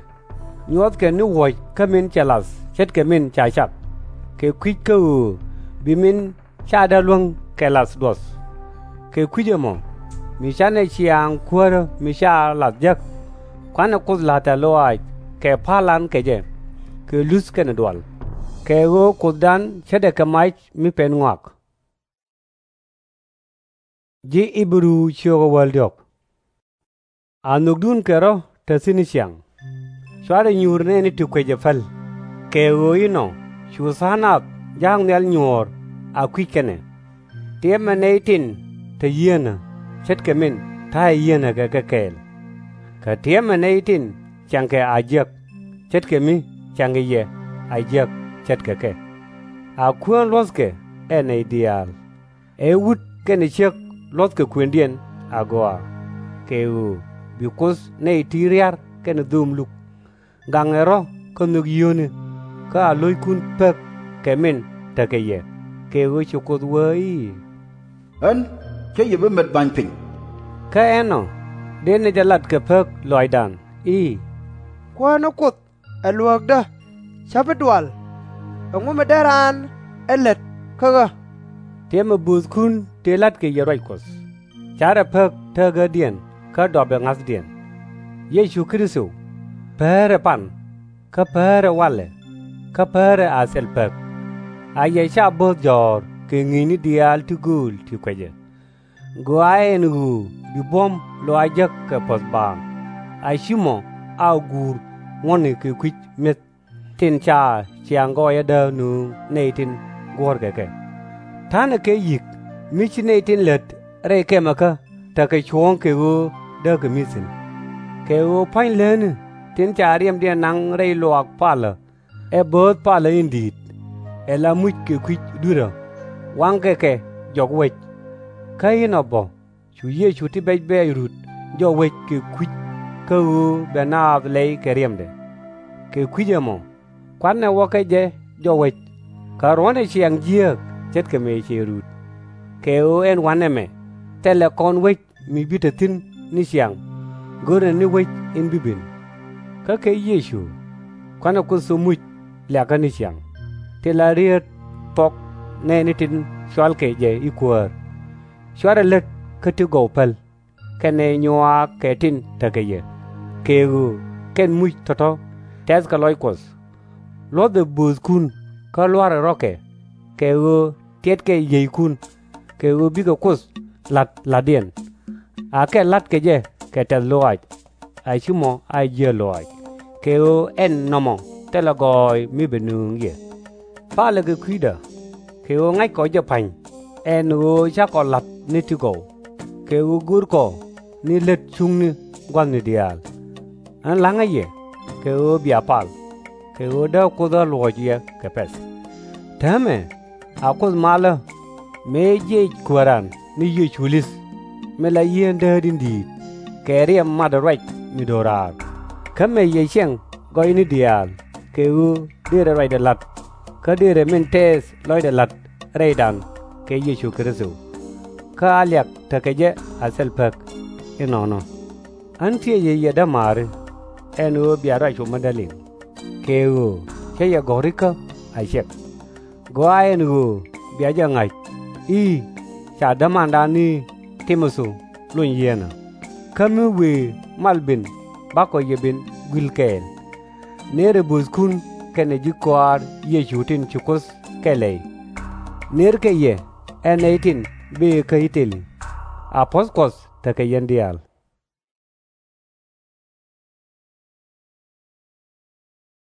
nyuɔthkɛ ni wuɔ̱c kä min cɛ la̱th ce̱tkɛ min ca cak, kɛ kui̱c kä ɣöö bi min ca däär luäŋ kɛ la̱th duɔth. Kɛ kui̱c ɛmɔ, mi /canɛ ciaŋ kuäärä mi ca la̱th jek, kuanɛ Kuoth la̱r tɛ̈th lɔaac kɛ pa̱lan kɛ jɛ, kɛ luth kɛnɛ dual, kɛ ɣöö Kuothdan ce̱tdɛ kɛ mac mi pɛn ŋɔak. Ji̱ Ɣi-bɛ-ru ciökä wäl diɔ̱k. A nhökdun kɛ rɔ̱ te thi̱n ni ciaŋ. /Cuarɛ nyuur nɛɛni ti kuecɛ päl, kɛ ɣöö inɔ cu tha̱a̱ŋ nath ja̱a̱k nhial nyuɔ̱ɔ̱r a kui̱c kɛn ɛ. Tiɛmɛ nɛy tin te yieenä ce̱tkɛ min ta̱a̱ yieenä kɛ kɛ kɛɛl. Kä tiɛmɛ nɛy tin ciaŋkɛ a jiäk ce̱tkɛ mi ciaŋkɛ yɛ a jiäk ce̱tkɛ kɛ. A kuäär luɔ̱thkɛ ɛ nɛy diaal, ɛ wut kɛnɛ ciek luɔ̱thkɛ kuëndiɛn agɔaa, kɛ ɣöö bi Kuoth nɛy ti ria̱r kɛnɛ dho̱o̱m luk. Gaŋɛ rɔ̱ kä nhök yio̱o̱ni, kä a lo̱ckun pek kɛ min tekɛ yɛ, kɛ ɣöö ci Kuoth wee i̱, Ɣän cä yɛ bi met ba̱ny piny. Kä ɛnɔ dee nɛy jɛ lat kɛ pek lɔaacdan i̱, Kuäär ni Kuoth ɛ luääkdä, /cä bi dual. Ɛŋu mi dee raan ɛ lät kä ɣä? Tiɛmɛ bööthkun tëë la̱tkɛ yɛ ruac Kuɔth, ca̱rɛ pek tääkädiɛn kä dɔpɛ ŋa̱thdiɛn. Yecu Kritho, päärɛ pan, kä päärɛ walɛ, kä päärɛ a thil pek. A yɛ /ca bo̱o̱th jɔ̱ɔ̱r kɛ ŋi̱i̱cni diaal ti gööl ti kuecɛ. Gɔaaɛ ɛn ɣöö bi buɔ̱m lɔaac jek kɛ puɔ̱th baaŋ, a /ci mɔ a guur ŋuɔ̱tni kɛ kui̱c mi̱eth, tin ca ciaŋ gɔɔyädä nööŋ nɛy tin guɔ̱ɔ̱rkɛ kɛ. Ta̱nɛ kɛ yi̱k mi ci nɛy tin lät rɛy kɛmɛkä tekɛ cuɔ̱ɔ̱ŋ kɛ ɣöö dääkɛ mi̱th thi̱n. Kɛ ɣöö pua̱ny lätni tin ca riɛmdiɛn naŋ rɛy luaak palä ɛ bööth palä in di̱i̱t, ɛ la muc kɛ kui̱c dui̱rä, waŋkɛ kɛ jɔk wec. Kä inɔ bä cu Yecu ti bɛc bɛɛc rut jɔk wec kɛ kui̱c kä ɣöö bɛ naath lɛy kɛ riɛmdɛ. Kɛ kui̱c ɛmɔ kuanɛ wä kä jɛ jɔk wec, kä ruɔ̱nɛ ciaŋ jiääk ce̱tkɛ mëë cɛ rut. Kɛ ɣöö ɛn wa̱nɛ mɛ thilɛ kɔn wec mi bi te thi̱n ni ciaŋ, görnɛ ni wec in bi ben. Kä kɛ Yecu kuanɛ Kuoth thok muc liakä ni ciaŋ. ti la rieet thuɔk nɛɛni tin cɔalkɛ jɛ i̱ kuäär. /Cuarɛ lät kä ti gɔw päl, kɛnɛ nyuaak kɛ tin tekɛ yɛ, kɛ ɣöö kɛn muc tɔ̱tɔ̱ tɛ̈thkɛ lɔc Kuɔth. Luɔ̱thɛ bööthkun kä lua̱rɛ rɔ̱kɛ, kɛ ɣöö tiɛtkɛ yiëëckun, kɛ ɣöö bikɛ Kuoth la̱t la̱tdiɛn. Akɛ la̱tkɛ jɛ kɛ tɛ̈th lɔaac, a /ci mɔ a jiäk lɔaac, kɛ ɣöö ɛn nɔmɔ thilɛ gɔɔy mi bɛ nöŋ yɛ. Palɛ kɛ kui̱dä, kɛ ɣöö ŋa̱ckɔ jɛ pa̱ny, ɛn ɣöö cakɔ la̱t ni ti gɔw, kɛ ɣöö görkɔ ni lät cuŋni gua̱thni diaal. Ɣän la̱ŋä yɛ kɛ ɣöö bia pal, kɛ ɣöö dääk Kuoth ɣä luɔ̱ɔ̱c yɛ kɛ pɛ̈th. Täämɛ, a Kuoth malä mëë jiɛc Kuääran ni Yecu li̱th, min la Yieen Dääk in Di̱i̱t, kɛ riɛm matdä ruac mi do̱raar. Kä mëë yɛ ciɛŋ gɔyni diaal, kɛ ɣöö dërɛ ruacdɛ la̱t, kä dërɛ min tɛɛth lɔcdɛ la̱t rɛydan kɛ Yecu Kritho. Kä a liak tekɛ jɛ a thil pek. Inɔnɔ, ɣän tiecɛ yɛ dämaari, ɛn ɣöö bia ruac cuɔ̱p mi däl in, kɛ ɣöö cä yɛ gɔ̱r ikä a ciɛk. Gɔaa ɛn ɣöö bia jɛ ŋa̱c i̱ ca dämandan ni Ti-mo-thi lony yieenä. Kä mi wëë mal ben, bakɔ yɛ ben gui̱l kɛɛl. Nëërɛ bööthkun kɛnɛ ji̱ kɔaar Yecu tin ci Kuoth kɛl lɛy. Nëërkɛ yɛ ɛ nɛy tin bëë kä I-ta-li. A puɔ̱th Kuɔth tekɛ yɛn diaal.